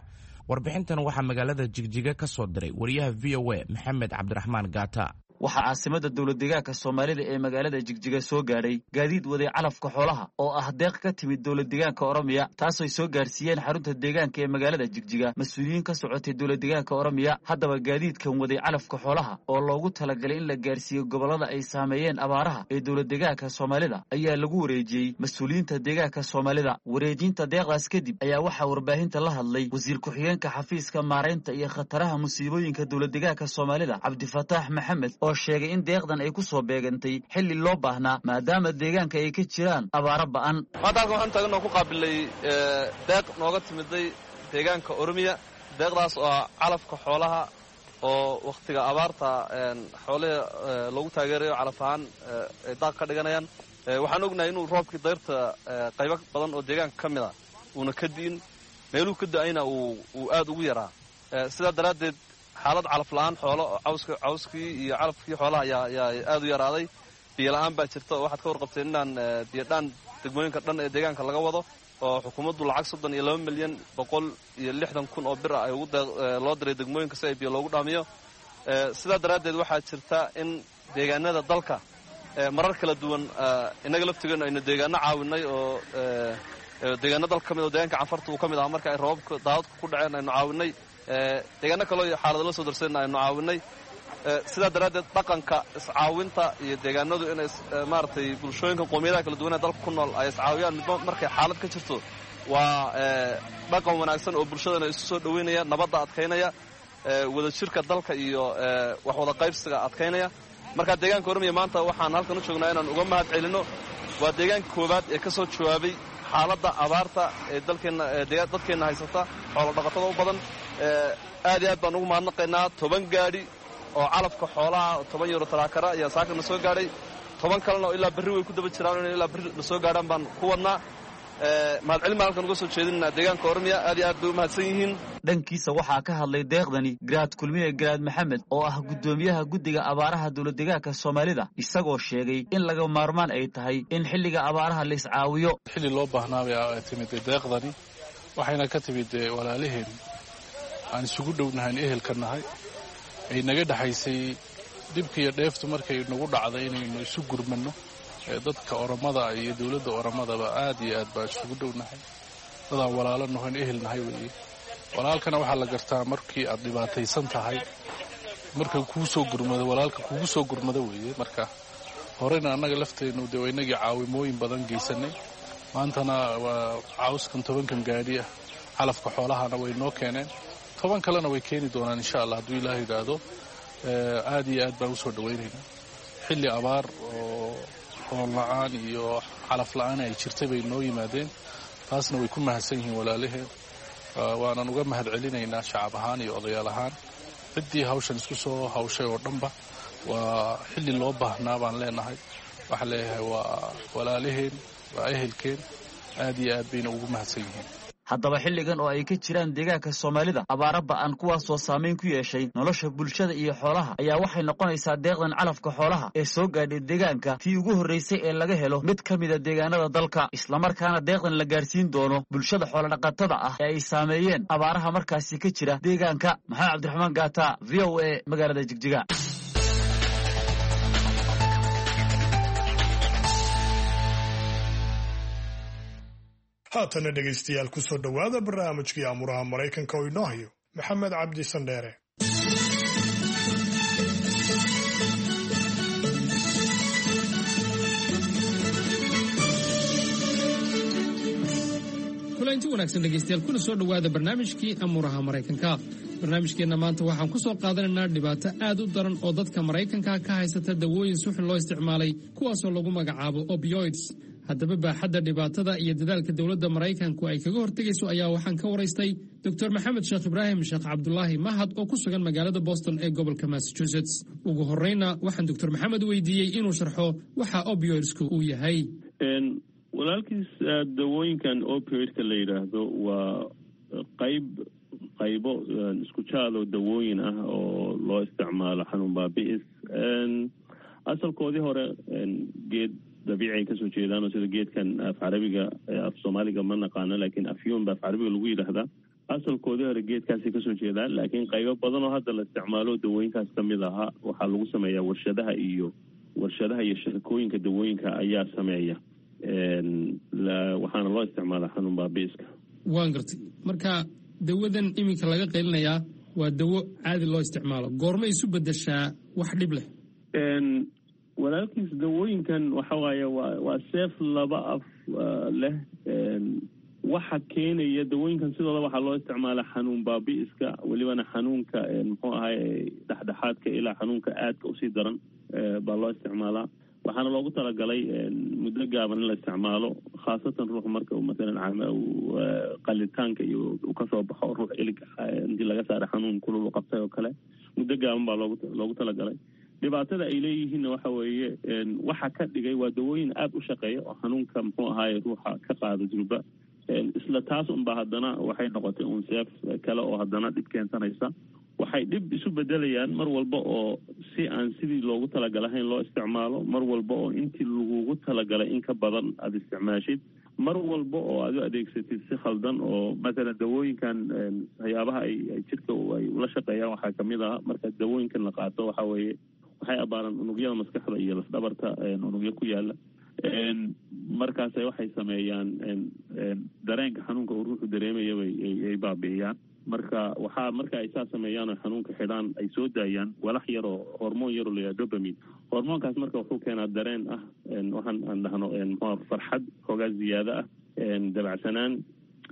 Warbixintan waxaa magaalada Jigjiga ka soo diray wariyaha V O A Maxamed Cabdiraxmaan Gaata. Waxaa caasimada dowlad deegaanka Soomaalida ee magaalada Jigjiga soo gaadhay gaadiid waday calafka xoolaha oo ah deeq ka timid dowlad deegaanka Oromiya, taasooy soo gaarsiiyeen xarunta deegaanka ee magaalada Jigjiga mas-uuliyiin ka socotay dowlad deegaanka Oromiya. Haddaba gaadiidkan waday calafka xoolaha oo loogu talagalay in la gaarsiiyo gobollada ay saameeyeen abaaraha ee dowlad deegaanka Soomaalida ayaa lagu wareejiyey mas-uuliyiinta deegaanka Soomaalida. Wareejinta deeqdaas kadib ayaa waxaa warbaahinta la hadlay wasiir ku-xigeenka xafiiska maaraynta iyo khataraha musiibooyinka dowlad deegaanka Soomaalida Cabdifataax Maxamed oo sheegay in deeqdan ay ku soo beegantay xilli loo baahnaa maadaama deegaanka ay ka jiraan abaaro ba'an. Maanta halkan waxaan taagan oo ku qaabilay deeq nooga timiday deegaanka Oromiya, deeqdaas oo ah calafka xoolaha oo wakhtiga abaarta xoolaha lagu taageerayo calaf ahaan ay daaq ka dhiganayaan. Waxaan ognahay inuu roobkii dayrta qaybo badan oo deegaanka ka mid a uuna ka di'in, meeluu ka da'ayna uu aad ugu yaraa. Sidaa daraaddeed xaalad calaf la'aan xoolo cawska cawskii iyo calafkii xoolaha ayaa ayaa aad u yaraaday. Biyo la'aan baa jirta oo waxaad ka warqabteen inaan biyodhaan degmooyinka dhan ee deegaanka laga wado oo xukuumaddu lacag soddon iyo laba milyan boqol iyo lixdan kun oo bir ah ay ugu loo diray degmooyinka si ay biyo loogu dhaamiyo. Sidaa daraaddeed waxaa jirta in deegaanada dalka marar kala duwan innaga laftigeennu aynu deegaano caawinay oo deegaano dalka ka mid oo deegaanka Canfarta uu ka mid ahaa marka ay roobabka daadadku ku dhaceen aynu caawinay, deegaano kaloo xaalado la soo darsayna aynu caawinay. Sidaa daraaddeed dhaqanka iscaawinta iyo deegaanadu inay maaragtay bulshooyinka qoomiyadaha kala duwan ee dalka ku nool ay iscaawiyaan midba markay xaalad ka jirto waa dhaqan wanaagsan oo bulshadana isu soo dhoweynaya, nabadda adkaynaya, wadajirka dalka iyo wax wada qaybsiga adkaynaya. Marka deegaanka Oromiya maanta waxaan halkan u joognaa inaan uga mahad celinno. Waa deegaanka koowaad ee ka soo jawaabay xaaladda abaarta ee dalkeenna dadkeenna haysata, xoolo dhaqatada u badan. Aad iyo aad baan ugu mahadnaqaynaa. Toban gaadhi oo calafka xoolaha toban euro taraakara ayaa saaka na soo gaadhay, toban kalena oo ilaa berri way ku daba jiraan, inay ilaa berri na soo gaadhaan baan ku wadnaa. Mahadcelin baan halkan uga soo jeedinaa deegaanka Oromiya, aad iyo aad bay u mahadsan yihiin. Dhankiisa waxaa ka hadlay deeqdani Garaad Kulmiye Garaad Maxamed oo ah guddoomiyaha guddiga abaaraha dowladdeegaanka Soomaalida, isagoo sheegay in laga maarmaan ay tahay in xilliga abaaraha la iscaawiyo. Xilli loo baahnaa bay timid deeqdani, waxayna ka timid walaalaheen aan isugu dhownahayn, ehelka nahay, ay naga dhexaysay dhibka iyo dheeftu markay nagu dhacday inaynu isu gurmanno. Dadka Oromada iyo dowladda Oromadaba aad iyo aad baa isugu dhownahay, dadaan walaalo nahoyn, ehel nahay weeye. Walaalkana waxaa la gartaa markii aad dhibaataysan tahay, marka kuu soo gurmado, walaalka kugu soo gurmado weeye. Marka horena annaga lafteennu dee waa inagii caawimooyin badan geysanay, maantana waa cawskan tobankan gaadhi ah calafka xoolahana way noo keeneen, toban kalena way keeni doonaan insha allah hadduu ilaah yidhaahdo. Aad iyo aad baan usoo dhawaynaynaa. Xilli abaar oo hool la-aan iyo calaf la-aan ay jirtay bay noo yimaadeen, taasna way ku mahadsan yihiin walaalaheen, waanan uga mahad celinaynaa shacab ahaan iyo odayaal ahaan ciddii hawshan isku soo hawshay oo dhanba. Waa xilli loo baahnaa baan leenahay. Waxaan leeyahay waa walaalaheen, waa ehelkeen, aad iyo aad bayna ugu mahadsan yihiin. Haddaba xilligan oo ay ka jiraan deegaanka Soomaalida abaara ba'an kuwaasoo saamayn ku yeeshay nolosha bulshada iyo xoolaha, ayaa waxay noqonaysaa deeqdan calafka xoolaha ee soo gaadhay deegaanka tii ugu horraysay ee laga helo mid ka mida deegaanada dalka, islamarkaana deeqdan la gaarsiin doono bulshada xoolodhaqatada ah ee ay saameeyeen abaaraha markaasi ka jira deegaanka. Maxamed Cabdiraxmaan Gaata, V O A, magaalada Jigjiga. Haatana dhegaystayaal ku soo dhowaada barnaamijkii aamuraha Maraykanka oo inoo hayo Maxamed Cabdi Sandheere. Kulanti wanaagsan dhegaystayaal, kuna soo dhowaada barnaamijkii amuuraha Maraykanka. Barnaamijkeenna maanta waxaan ku soo qaadanaynaa dhibaato aad u daran oo dadka Maraykanka ka haysata dawooyin suxun loo isticmaalay, kuwaasoo lagu magacaabo opioids. Haddaba baaxadda dhibaatada iyo dadaalka dowladda Maraykanku ay kaga hortegayso ayaa waxaan ka waraystay Doctor Maxamed Sheekh Ibraahim Sheekh Cabdulaahi Mahad oo ku sugan magaalada Boston ee gobolka Massachusetts. Ugu horreyna waxaan Doctor Maxamed weydiiyey inuu sharxo waxa opioidsku uu yahay. Walaalkiis, dawooyinkan opioidka la yidhaahdo waa qayb qaybo isku jaadoo dawooyin ah oo loo isticmaalo xanuun baabi'is. Asalkoodii hore geed dabiici ay kasoo jeedaan oo sida geedkan af carabiga, af soomaaliga ma naqaano, laakiin afyuun ba af carabiga lagu yidhaahdaa. Asalkoodii hore geedkaasay kasoo jeedaan, laakiin qaybo badan oo hadda la isticmaalo dawooyinkaas kamid ahaa waxaa lagu sameeyaa warshadaha iyo warshadaha iyo shirkooyinka dawooyinka ayaa sameeya, waxaana loo isticmaalaa xanuun baabi'iska. Waan gartay. Marka dawadan iminka laga qaylinayaa waa dawo caadi loo isticmaalo, goorma isu bedeshaa wax dhib leh? Walaalkiis, dawooyinkan waxa waaye waa waa seef laba af leh. Waxa keenaya dawooyinkan sidooda waxaa loo isticmaalaa xanuun baabi'iska, welibana xanuunka muxuu ahay dhexdhexaadka ilaa xanuunka aadka usii daran baa loo isticmaalaa. Waxaana loogu talagalay muddo gaaban in la isticmaalo, khaasatan ruux marka uu masalan qalitaanka iyo uu kasoo baxo, ruux ilig intii laga saaray xanuun kulul u qabtay oo kale, muddo gaaban baa loogu loogu talagalay. Dhibaatada ay leeyihiinna waxa weeye, waxa ka dhigay waa dawooyin aada u shaqeeya oo xanuunka muxuu ahaaye ruuxa ka qaada durba. Isla taas unba haddana waxay noqotay uun seef kale oo haddana dhib keensanaysa. Waxay dhib isu bedelayaan mar walba oo si aan sidii loogu talagalahayn loo isticmaalo, mar walba oo intii lagugu talagalay in ka badan aada isticmaashid, mar walba oo aad u adeegsatid si khaldan. Oo mathalan dawooyinkan waxyaabaha ay jirka ay ula shaqeeyaan waxaa kamid ah, marka dawooyinkan la qaato waxa weeye waxay abaaraan unugyada maskaxda iyo lafdhabarta unugyo ku yaala. Markaas waxay sameeyaan dareenka xanuunka uu ruuxu dareemaya bay ay baabi'iyaan. Marka waxaa marka ay saa sameeyaan oo xanuunka xidhaan, ay soo daayaan walax yaroo hormoon yaroo la yidhaha dopamine. Hormoonkaas marka wuxuu keenaa dareen ah waxaan aan dhahno muxua farxad, xoogaa ziyaado ah, dabacsanaan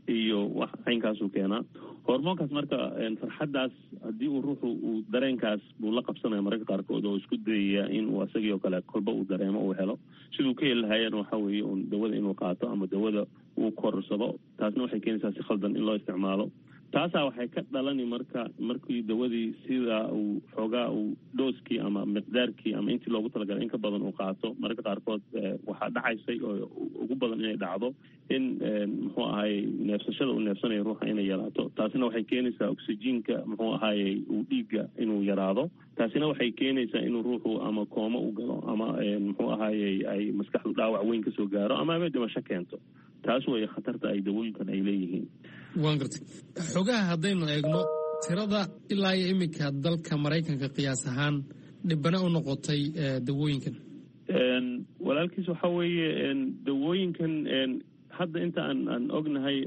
iyo wax caynkaasuu keenaa hormoonkaas. Marka farxaddaas haddii uu ruuxu uu dareenkaas buu la qabsanaya mararka qaarkood oo isku dayaya in uu asagii oo kale kolba uu dareemo uu helo. Siduu ka heli lahaayeen waxa weeye uun dawada inuu qaato ama dawada uu korsado. Taasna waxay keenaysaa si khaldan in loo isticmaalo. Taasaa waxay ka dhalani marka markii dawadii sidaa uu xoogaa uu dooskii ama miqdaarkii ama intii loogu talagalay in ka badan uu qaato, mararka qaarkood waxaa dhacaysay oo ugu badan inay dhacdo in muxuu ahaaye neefsashada uu neefsanayo ruuxa inay yaraato. Taasina waxay keenaysaa oxygenka muxuu ahaaye uu dhiigga inuu yaraado. Taasina waxay keenaysaa inuu ruuxu ama kooma u galo ama muxuu ahaaye ay maskaxdu dhaawac weyn kasoo gaaro ama ama dhimasho keento. Taas weeye khatarta ay dawooyinkan ay leeyihiin. Waan gartay. Xogaha haddaynu eegno tirada ilaa iyo iminka dalka Maraykanka qiyaas ahaan dhibana u noqotay dawooyinkan. Walaalkiis, waxa weeye dawooyinkan hadda inta aan aan ognahay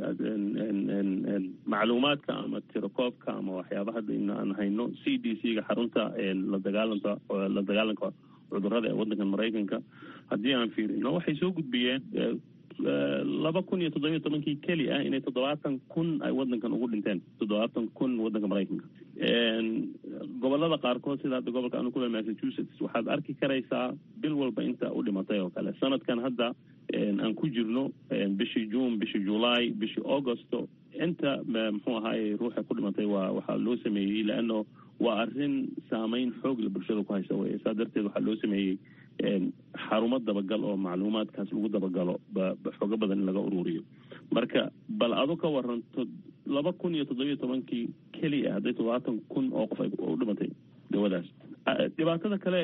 macluumaadka ama tirakoobka ama waxyaaba hadda in aan hayno, C D C ga, xarunta la dagaalanka la dagaalanka cudurrada ee waddankan Maraykanka, haddii aan fiirino, waxay soo gudbiyeen laba kun iyo toddobiyo tobankii keli ah inay toddobaatan kun ay waddankan ugu dhinteen, toddobaatan kun waddanka Maraykanka. Gobolada qaarkood, sida hadda gobolka anu kule Massachusetts, waxaad arki karaysaa bil walba inta u dhimatay oo kale. Sanadkan hadda aan ku jirno, bishii June, bishii July, bishii Augusto, inta muxuu ahaaye ruuxa ku dhimatay waa waxaa loo sameeyey, leano waa arrin saameyn xoog la bulshada ku haysa wey. Saa darteed waxaa loo sameeyey xarumo dabagal oo macluumaadkaas lagu dabagalo, xoogo badan in laga ururiyo. Marka bal adu ka waranto laba kun iyo toddobiyo tobankii keliya hadday toddobaatan kun oo qof ay u dhimatay dawadaas. Dhibaatada kale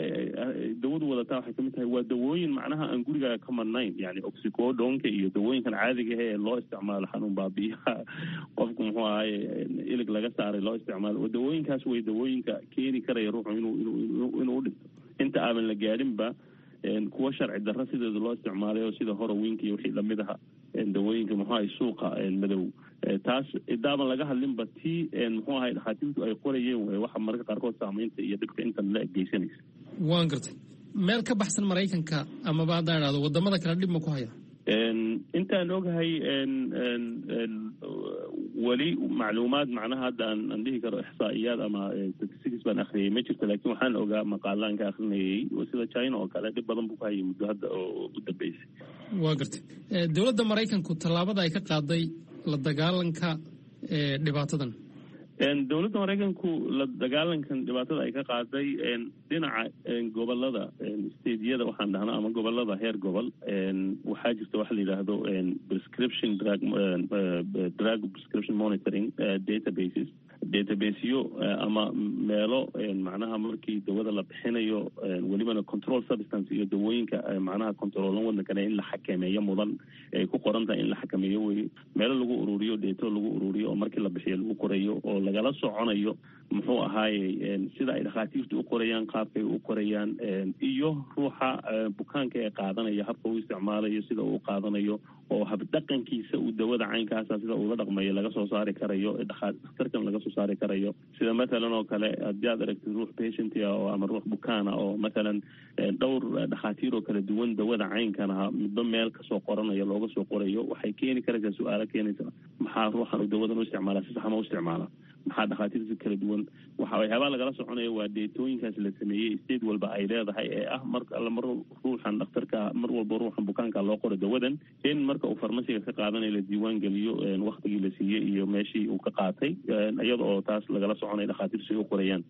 dawadu wadataa waxay kamid tahay waa dawooyin macnaha aan gurigaaga ka marnayn, yani oxycodonka iyo dawooyinkan caadiga ah ee loo isticmaalo xanuun baabiyaha qofku muxuu ahaye ilig laga saaray loo isticmaalo. Waa dawooyinkaas way dawooyinka keeni karaya ruuxu inuu inuu inuu u dhinto inta aaban la gaadhinba. Kuwa sharci darro sideeda loo isticmaalay oo sida horowinka iyo wixii lamid aha, dawooyinka muxuu ahay suuqa madow, taas idaaban laga hadlinba. Tii muxuu ahay dhakhaatiirtu ay qorayeen wey waxa mararka qaarkood saameynta iyo dhibka intan la geysanaysa. Waan gartay. Meel ka baxsan Maraykanka amaba haddaan idhahdo wadamada kale dhib ma ku haya? Intaan ogahay weli macluumaad macnaha hadda aan aan dhihi karo ixsaa'iyaad ama statistics baan akhriyay ma jirto, laakiin waxaan ogaa maqaalaan ka akrinayay oo sida China oo kale dhib badan buu ku hayay muddo hadda oo u dambeysay. Waa gartay. Dowladda Maraykanku tallaabada ay ka qaaday la dagaalanka dhibaatadan? Dowladda Maraykanku la dagaalankan dhibaatada ay ka qaaday dhinaca gobolada, stateyada waxaan dhahnaa ama gobolada heer gobol, waxaa jirta waxa la yidhaahdo prescription drug drug prescription monitoring databases, databaseyo ama meelo macnaha markii dawada la bixinayo, welibana control substance iyo dawooyinka macnaha controolan waddankana in la xakameeyo mudan ay ku qoran tahay in la xakameeyo weye, meelo lagu ururiyo dheeto lagu ururiyo oo markii la bixiyo lagu qorayo oo lagala soconayo muxuu ahaaye sida ay dhakhaatiirtu u qorayaan, qaabkay u qorayaan, iyo ruuxa bukaanka ee qaadanaya habka uu isticmaalayo, sida uu qaadanayo oo habdhaqankiisa uu dawada caynkaasa sida uula dhaqmayo laga soo saari karayo, dhakhtarkan laga soo saari karayo. Sida mathalan oo kale haddii aad aragtid ruux patient ah oo ama ruux bukaana oo mathalan dhowr dhakhaatiir oo kala duwan dawada caynkan aha midba meel kasoo qoranayo looga soo qorayo, waxay keeni karaysaa su-aalo keenaysa maxaa ruuxan uu dawadan u isticmaalaa, si sax ma u isticmaalaa. Maxaa dhakhaatiirta kala duwan waxa waxyaabaha lagala soconaya waa deetooyinkaas la sameeyey state walba ay leedahay ee ah mar alla mar ruuxan dhakhtarka, mar walba ruuxan bukaanka loo qoro dawadan, in marka uu farmasiga ka qaadanayo la diiwaan geliyo waktigii la siiyey iyo meeshii uu ka qaatay, iyada oo taas lagala soconaya dhakhaatiirtu si u qorayaan.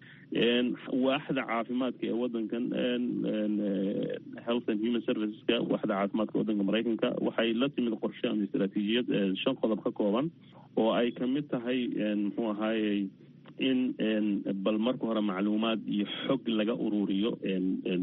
Waaxda caafimaadka ee wadankan, Health and Human Serviceska, waaxda caafimaadka wadanka Maraykanka, waxay la timid qorshe ama istaraatiijiyad shan qodob ka kooban oo ay kamid tahay, muxuu ahaayey, in bal marka hore macluumaad iyo xog laga ururiyo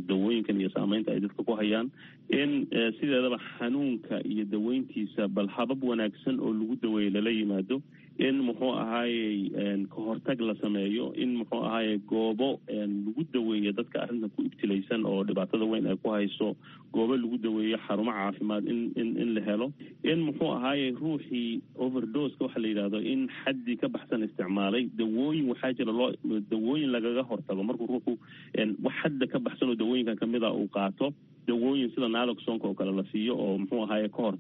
dawooyinkan iyo saameynta ay dadka ku hayaan, in sideedaba xanuunka iyo daweyntiisa bal habab wanaagsan oo lagu daweeyo lala yimaado, in muxuu ahaayey kahortag la sameeyo, in muxuu ahaayey goobo lagu daweeyo dadka arrintan ku ibtilaysan oo dhibaatada weyn ay ku hayso, goobo lagu daweeyo, xarumo caafimaad in in in la helo, in muxuu ahaayey ruuxii overdoseka waxa la yidhahdo, in xaddii ka baxsan isticmaalay dawooyin, waxaa jira loo dawooyin lagaga hortago markuu ruuxu wax xadda ka baxsan oo dawooyinkan kamid a uu qaato, dawooyin sida naloxonka oo kale la siiyo oo muxuu ahaye kahor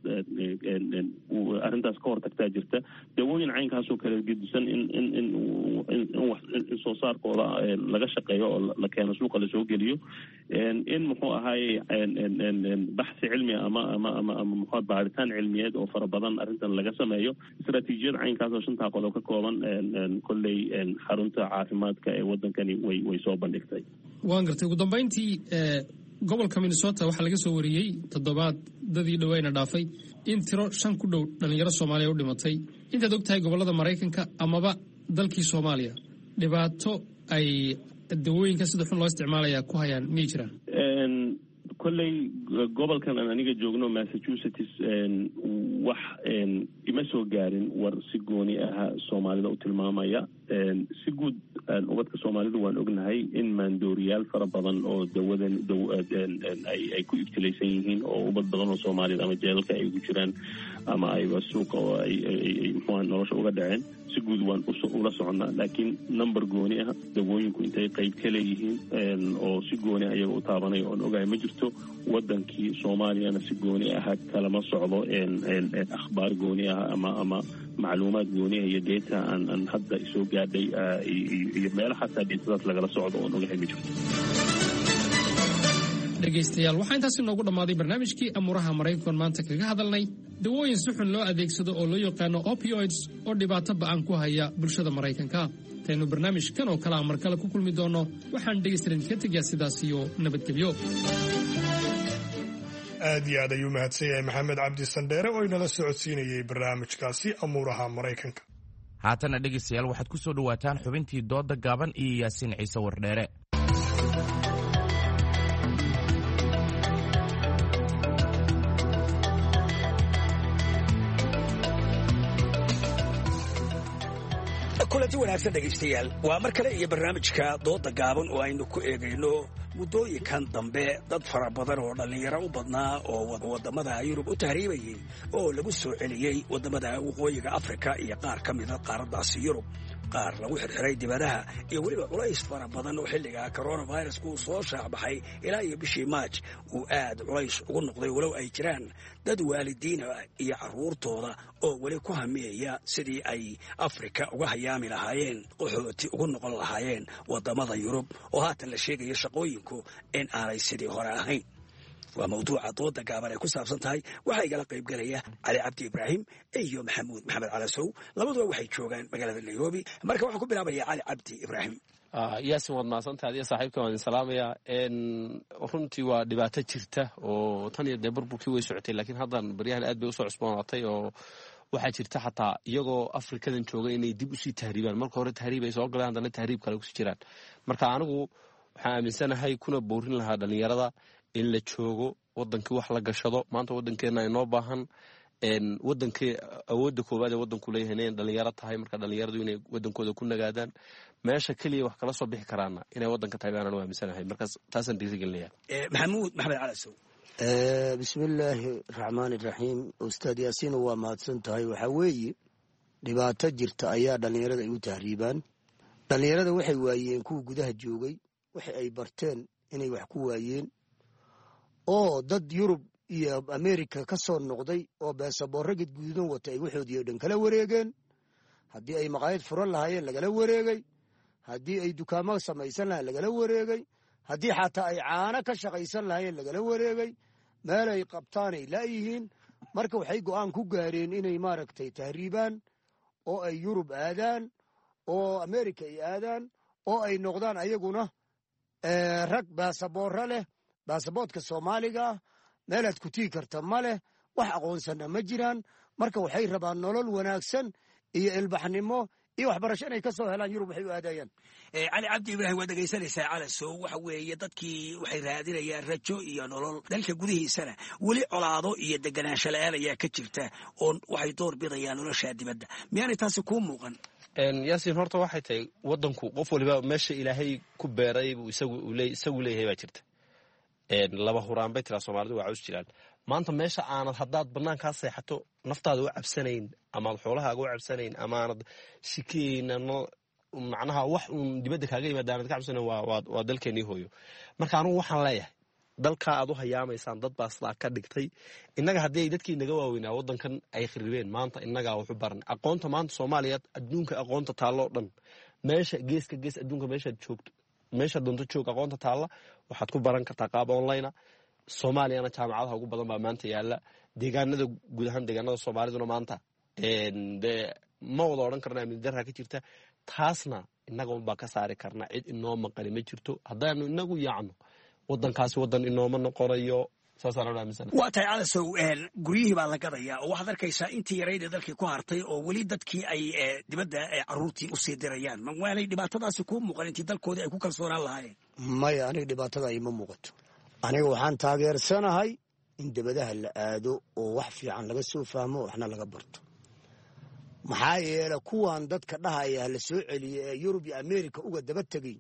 arrintaas ka hortagtaa jirta, dawooyin caynkaasoo kale gedisan in in in in soo saarkooda laga shaqeeyo oo la keeno, suuqa lasoo geliyo, in muxuu ahaye baxsi cilmi ama ama ama ama muxuu baaritaan cilmiyeed oo fara badan arrintan laga sameeyo. Istaraatiijiyad caynkaasoo shantaa qodob ka kooban kolley xarunta caafimaadka ee waddankani way way soo bandhigtay. Waan gartay. Ugu dambeyntii, gobolka Minnesota waxaa laga soo wariyey toddobaad dadii dhaweyna dhaafay in tiro shan ku dhow dhalinyaro Soomaaliya u dhimatay. Intaad og tahay gobollada Maraykanka amaba dalkii Soomaaliya, dhibaato ay dawooyinka sida xun loo isticmaalaya ku hayaan miyay jiraan? Kolley gobolkan aan aniga joogno, Massachusetts, wax ima soo gaarin war si gooni aha Soomaalida u tilmaamaya. Si guud ubadka Soomaalidu waan ognahay in maandooriyaal fara badan oo dawadan ay ku ibtilaysan yihiin, oo ubad badan oo Soomaaliyad ama jeelalka ay ugu jiraan ama ayba suuqa oo ay muxuuha nolosha uga dhaceen. Si guud waan ula soconnaa, laakiin number gooni ah dawooyinku intay qayb ka leeyihiin oo si gooni ah iyaga u taabanaya oon ogahay ma jirto. Wadankii Soomaaliyana si gooni aha kalama socdo akhbaar gooni ah ama ama macluumaad gooni ah iyo data aan aan hadda isoo gaadhay iyo meelo xataa datadaas lagala socdo oon ogahay ma jirto. Dhegaystayaal, waxaa intaasi noogu dhammaaday barnaamijkii amuuraha Maraykankan maanta kaga hadalnay dawooyin si xun loo adeegsado oo loo yaqaano opioids oo dhibaato ba'an ku haya bulshada Maraykanka. Intaynu barnaamijkan oo kale a mar kale ku kulmi doonno, waxaan dhegaystayaal idinka tegayaa sidaas iyo nabadgelyo. Aad iyo aad ayuu mahadsan yahay Maxamed Cabdi Sandheere oo inala socodsiinayay barnaamijkaasi amuuraha Maraykanka. Haatana dhegaystayaal, waxaad ku soo dhowaataan xubintii dooda gaaban iyo Yaasiin Ciise Wardheere. Kulanti wanaagsan dhegaystayaal, waa mar kale iyo barnaamijka dooda gaaban oo aynu ku eegayno muddooyinkan dambe dad fara badan oo dhallinyaro u badnaa oo waddamada Yurub u tahriibayey oo lagu soo celiyey waddamada waqooyiga Afrika iyo qaar ka mida qaaraddaasi Yurub, qaar lagu xirxiray dibadaha, iyo weliba culays fara badan oo xilliga coronavirusku uu soo shaacbaxay ilaa iyo bishii Maaj uu aad culays ugu noqday, walow ay jiraan dad waalidiina iyo carruurtooda oo weli ku hamiyaya sidii ay Afrika uga hayaami lahaayeen, qaxooti ugu noqon lahaayeen waddamada Yurub oo haatan la sheegayo shaqooyinku in aanay sidii hore ahayn. Waa mawduuca dooda gaaban ay ku saabsan tahay. Waxaa igala qaybgelaya Cali Cabdi Ibraahim iyo Maxamuud Maxamed Calasow. Labaduba waxay joogaan magaalada Nairobi. Marka waxaan ku bilaabaya Cali Cabdi Ibraahim. Yaasin, waad mahadsantahay, adiga saaxiibka waan idin salaamayaa. Runtii waa dhibaato jirta oo tan iyo dee burburkii way socotay, laakiin haddan baryahan aad bay usoo cusboonaatay, oo waxaa jirta xataa iyagoo Afrikadan jooga inay dib usii tahriibaan. Marka hore tahriib ay soo galeen, haddana tahriib kale kusii jiraan. Marka anigu waxaan aaminsanahay kuna boorin lahaa dhalinyarada in la joogo wadankii, wax la gashado. Maanta wadankeena inoo baahan, wadankii awoodda koowaad ee wadanku leeyahay inay dhalinyaro tahay. Marka dhalinyaradu inay wadankooda ku nagaadaan, meesha keliya wax kala soo bixi karaana inay wadanka tahay baanaan u aaminsanahay. Markaas taasaan dhiirigelinaya. Maxamuud Maxamed Calasow. Bismillaahi raxmaani raxiim. Ustaad Yaasiin, waa mahadsan tahay. Waxaa weeye dhibaato jirta ayaa dhallinyarada ay u tahriibaan. Dhallinyarada waxay waayeen kuwa gudaha joogay waxa ay barteen inay wax ku waayeen, oo dad Yurub iyo Amerika ka soo noqday oo beesaboorro gadgududan wata ay waxoodii oo dhan kala wareegeen. Haddii ay maqaayad furan lahaayeen lagala wareegay, haddii ay dukaamo samaysan lahayen lagala wareegay, haddii xataa ay caano ka shaqaysan lahaayeen lagala wareegay, meel ay qabtaanay laayihiin. Marka waxay go'aan ku gaareen inay maaragtay tahriibaan oo ay Yurub aadaan oo Amerika ay aadaan oo ay noqdaan ayaguna rag baasaboorro leh, baasaboortka Soomaaliga ah meelaad ku tigi karta ma leh, wax aqoonsana ma jiraan. Marka waxay rabaan nolol wanaagsan iyo ilbaxnimo iyo waxbarasho inay ka soo helaan Yurub waxay u aadayaan. Cali Cabdi Ibraahim, waad dhegaysanaysaa. Calasow, waxa weeye dadkii waxay raadinayaan rajo iyo nolol, dalka gudihiisana weli colaado iyo deganaansho la-aan ayaa ka jirta oo waxay door bidayaan nolosha dibadda. Miyaanay taasi kuu muuqan? Yaasiin, horta waxay tahay wadanku qof waliba meesha Ilaahay ku beeray buu isagu leeyahay baa jirta. Laba huraan bay tiraa Soomaalidu, waa caws jiraan. Maanta meesha aanad haddaad banaankaa seexato naftaada u cabsanayn, amaad xoolahaaga u cabsanayn, amaanad shikeyna, macnaha wax uun dibadda kaaga yimaada aanad ka cabsanayn, waa dalkeenii hooyo. Marka anugu waxaan leeyahay dalkaa aad u hayaamaysaan dad baa sidaa ka dhigtay. Innaga haddii ay dadkii naga waaweynaa waddankan ay kharibeen, maanta innagaa waxu baran aqoonta. Maanta Soomaaliya adduunka aqoonta taalloo dhan, meesha geeska gees adduunka meeshaad joogto, meesha doonto joog, aqoonta taalla waxaad ku baran kartaa qaab online. Soomaaliyana jaamacadaha ugu badan baa maanta yaala deegaanada, guud ahaan deegaanada Soomaaliduna maanta dee ma wada odhan karna amni darraa ka jirta. Taasna innaga unbaa ka saari karna, cid inoo maqani ma jirto. Haddaanu inagu yaacno, wadankaasi wadan inooma noqonayo. Waa tahay Calasow, guryihii baa la gadayaa oo waxaad arkaysaa intii yarayd ee dalkii ku hartay oo weli dadkii ay dibadda caruurtii usii dirayaan. Ma waanay dhibaatadaasi kuu muuqan intii dalkoodii ay ku kalsoonaan lahaayeen? Maya, aniga dhibaatada ima muuqato. Aniga waxaan taageersanahay in dibadaha la aado oo wax fiican laga soo fahmo, waxna laga barto. Maxaa yeele kuwan dadka dhahaya la soo celiye ee Yurub iyo Ameerika uga daba tegey,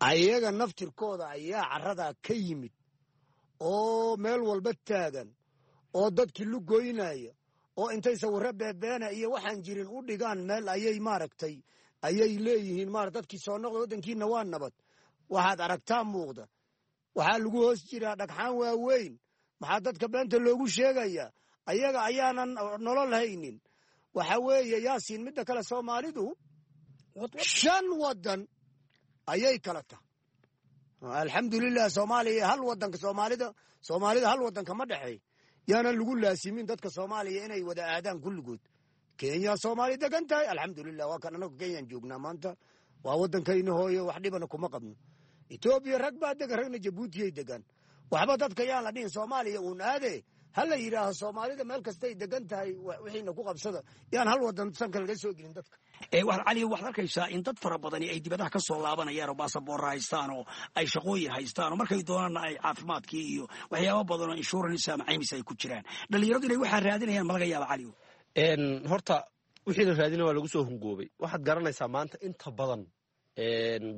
ayaga naftirkooda ayaa carradaa ka yimid oo meel walba taagan oo dadkii lugoynaya oo intay sawirro beebeena iyo waxaan jirin u dhigaan meel ayay maaragtay ayay leeyihiin maar dadkii soo noqda, waddankiina waa nabad. Waxaad aragtaa muuqda, waxaa lagu hoos jiraa dhagxaan waaweyn. Maxaa dadka beenta loogu sheegayaa? Ayaga ayaanan nolol haynin. Waxa weeye Yaasiin, midda kale Soomaalidu shan waddan ayay kala tahay. Alxamdulilah, Soomaaliya hal wadanka, Soomaalida Soomaalida hal wadanka ma dhexeey. Yaanan lagu laasimin dadka Soomaaliya inay wada aadaan kulligood. Kenya Soomaali degan tahay, alxamdulilah, waa kan anagu Kenyaan joognaa maanta, waa waddankayna hooyo, wax dhibana kuma qabno. Etoobiya rag baa degan, ragna Jabuutiyay degan. Waxba dadka yaan la dhihin Soomaaliya uun aade, ha la yidhaaho Soomaalida meel kastay degan tahay wixiina ku qabsada. Yaan hal wadan sanka laga soo gelin dadka. Cali, waxaad arkaysaa in dad fara badani ay dibadaha ka soo laabanayaan oo baasaboorra haystaan oo ay shaqooyin haystaan oo markay doonaanna ay caafimaadkii iyo waxyaaba badan oo insurance ama caymis ay ku jiraan. Dhalinyaradu inay waxaa raadinayaan ma laga yaaba, Cali? Horta wixii la raadina waa lagu soo hungoobay. Waxaad garanaysaa maanta inta badan,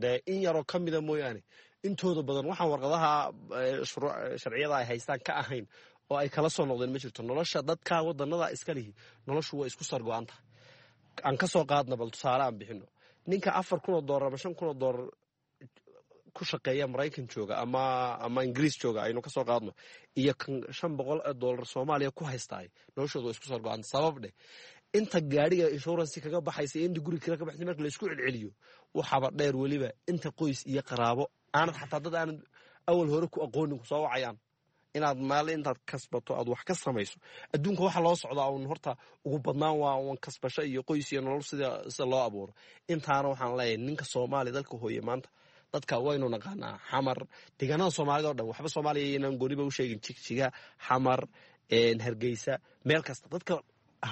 dee in yaroo ka mida mooyaane, intooda badan waxaan warqadaha sharciyada ay haystaan ka ahayn oo ay kala soo noqdeen ma jirto. Nolosha dadka wadanada iska lihi noloshu waa isku sargo-anta. Aan ka soo qaadna, bal tusaale aan bixino, ninka afar kun oo doolar ama shan kun oo doolar ku shaqeeya Maraykan jooga ama ama Ingiriis jooga aynu ka soo qaadno, iyo kan shan boqol oo doolar Soomaaliya ku haystaay, noloshooda waa isku sargo-anta. Sabab dheh, inta gaadhiga insurance kaga baxaysa iyo inta guri kale ka baxaysa marka la isku celceliyo, waxaaba dheer weliba inta qoys iyo qaraabo aanad xataa dad aanad awal hore ku aqoonin ku soo wacayaan. Inaad maal intaad kasbato aad wax ka samayso adduunka waxa loo socdaa uun horta ugu badnaan waa uun kasbasho iyo qoys iyo nolol sida sida loo abuuro. Intaana waxaan leeyahay ninka Soomaaliya dalka hooye maanta dadka waynu naqaanaa, Xamar, deegaanada Soomaalida oo dhan, waxba Soomaaliya inaan gooniba u sheegin, Jigjiga, Xamar, Hargeysa, meel kasta dadka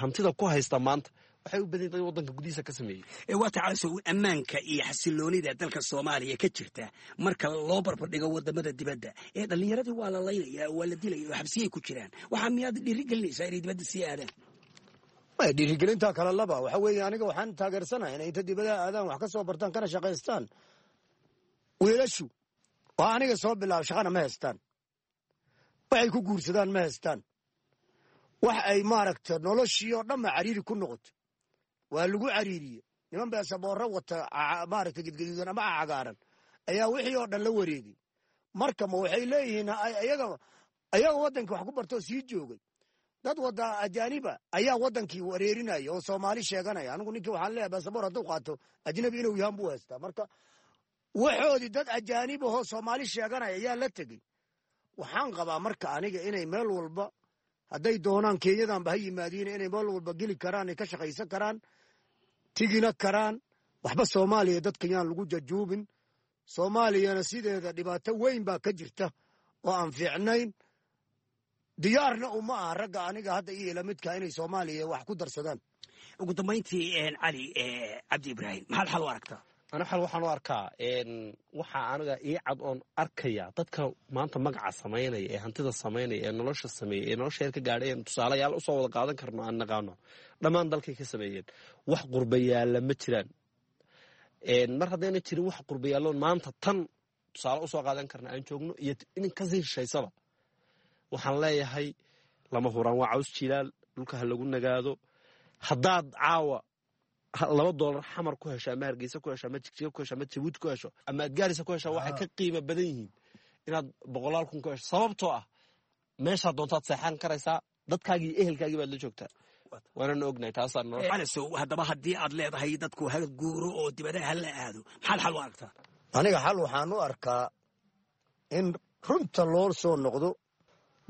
hantida ku haysta maanta waxay u badan dad wadanka gudihiisa ka sameeyey. Waa tacalasow, ammaanka iyo xasiloonida dalka Soomaaliya ka jirta marka loo barbardhigo wadamada dibadda ee dhallinyaradii waa la laynaya, waa la dilaya oo xabsiyay ku jiraan, waxaa miyaad dhiirigelinaysaa inay dibadda sii aadaan? Dhiirigelintaa kala laba. Waxa weeye aniga waxaan taageersanahay inay inta dibadaha aadaan wax ka soo bartaan kana shaqaystaan. Wiilashu waa aniga soo bilaaba shaqana ma haystaan, waxay ku guursadaan ma haystaan, wax ay maaragta noloshii oo dhanba cariiri ku noqoto, waa lagu cariiriye. Niman beesaboorro wata maaragta gedgaduudan ama cagaaran ayaa wixii oo dhan la wareegay. Marka ma waxay leeyihiin ayaga ayaga waddanka wax ku bartoo sii joogay Dad wada ajaaniba ayaa wadankii wareerinaya oo Soomaali sheeganaya. Anigu ninkii waxaan leeyahay basaboor hadduu qaato ajnabi inuu yahan buu haystaa. Marka waxoodii dad ajaanib ahoo Soomaali sheeganaya ayaa la tegey. Waxaan qabaa marka aniga inay meel walba hadday doonaan Kenyadanba ha yimaadiin, inay meel walba geli karaan, ay ka shaqaysan karaan, tigina karaan. Waxba Soomaaliya dadka yaan lagu jajuubin. Soomaaliyana sideeda dhibaato weyn baa ka jirta oo aan fiicnayn. Diyaarna uma aha ragga aniga hadda iyo ila midka inay Soomaaliya wax ku darsadaan. Ugu dambayntii, Cali Cabdi Ibraahim, maxaad xal u aragtaa? Ani xal waxaan u arkaa, waxaa aniga ii cad oon arkaya, dadka maanta magaca samaynaya ee hantida samaynaya ee nolosha sameeyey ee nolosha heer ka gaadhay een tusaalayaal usoo wada qaadan karno aan naqaano, dhammaan dalkay ka sameeyeen. Wax qurbayaalla ma jiraan. Mar haddayna jirin wax qurbayaalloon maanta tan tusaale usoo qaadan karna aan joogno iyo in kasii shishaysaba, waxaan leeyahay lama huraan waa caws jilaal, dhulka ha lagu nagaado. Haddaad caawa laba doolar Xamar ku hesho ama Hargeysa ku hesho ama Jigjiga ku hesho ama Jabuuti ku hesho ama aad Gaarisa ku hesho, waxay ka qiimo badan yihiin inaad boqolaal kun ku hesho, sababtoo ah meeshaad doontaad seexan karaysaa, dadkaagii iyo ehelkaagii baad la joogtaa, waanana ognahay taasaa nolosha. Calasow, haddaba haddii aad leedahay dadku ha guuro oo dibadaha ha la aado, maxaad xal u aragtaa? Aniga xal waxaan u arkaa in runta loo soo noqdo.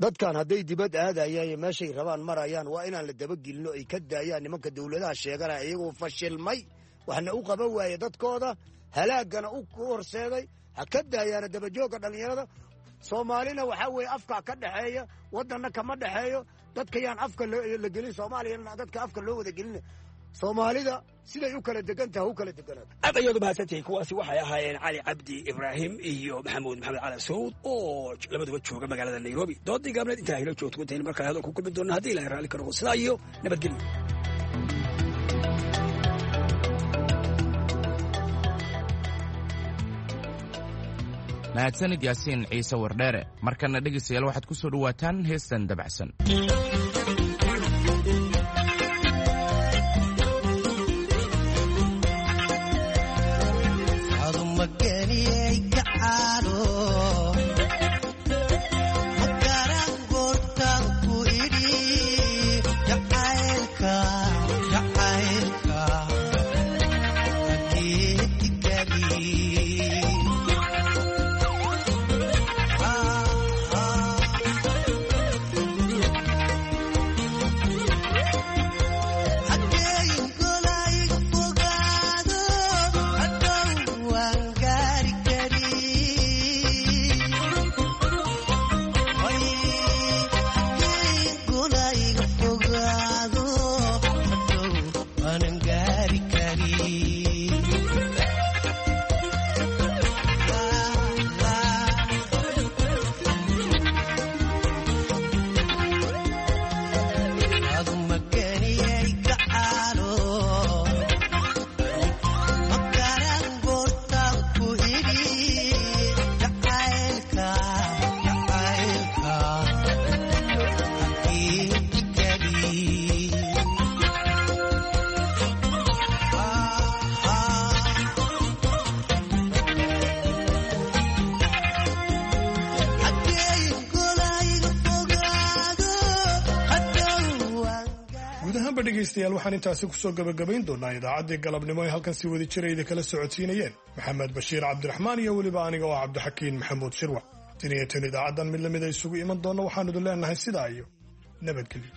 Dadkan hadday dibad aadayaan iyo meeshay rabaan marayaan, waa inaan la dabagelino, ay ka daayaan nimanka dowladaha sheeganaya iyagoo fashilmay, waxna u qaban waaye dadkooda, halaagana u horseeday. Ha ka daayaana dabajoogga dhallinyarada Soomaalina. Waxaa weeye afka ka dhexeeya, waddanna kama dhexeeyo. Dadka yaan afka la gelin Soomaaliyana, dadka afka loo wada gelin. Soomaalida siday u kala degan tahay u kala deganaato. Aad ayaad u mahadsantihiin. Kuwaasi waxay ahaayeen Cali Cabdi Ibraahim iyo Maxamuud Maxamed Cali Sawd oo labaduba jooga magaalada Nairobi. Doodii gaabneed intaa hilo joogto intaynu markaa hadal ku kulmi doonno, haddii Ilahay raalli ka noqo, sidaa iyo nabadgelyo. Mahadsanid Yaasiin Ciise Wardheere. Markana dhegaystayaal, waxaad ku soo dhowaataan heestan dabacsan. Dhegeystayaal, waxaan intaasi kusoo gabagabayn doonaa idaacaddii galabnimo ay halkan si wadi jira idin kala socodsiinayeen Maxamed Bashiir Cabdiraxmaan iyo weliba aniga oo Cabdixakiin Maxamuud Shirwac. Tan iyo tan idaacaddan mid lamid a isugu iman doonna, waxaanu idin leenahay sidaa iyo nabadgelyo.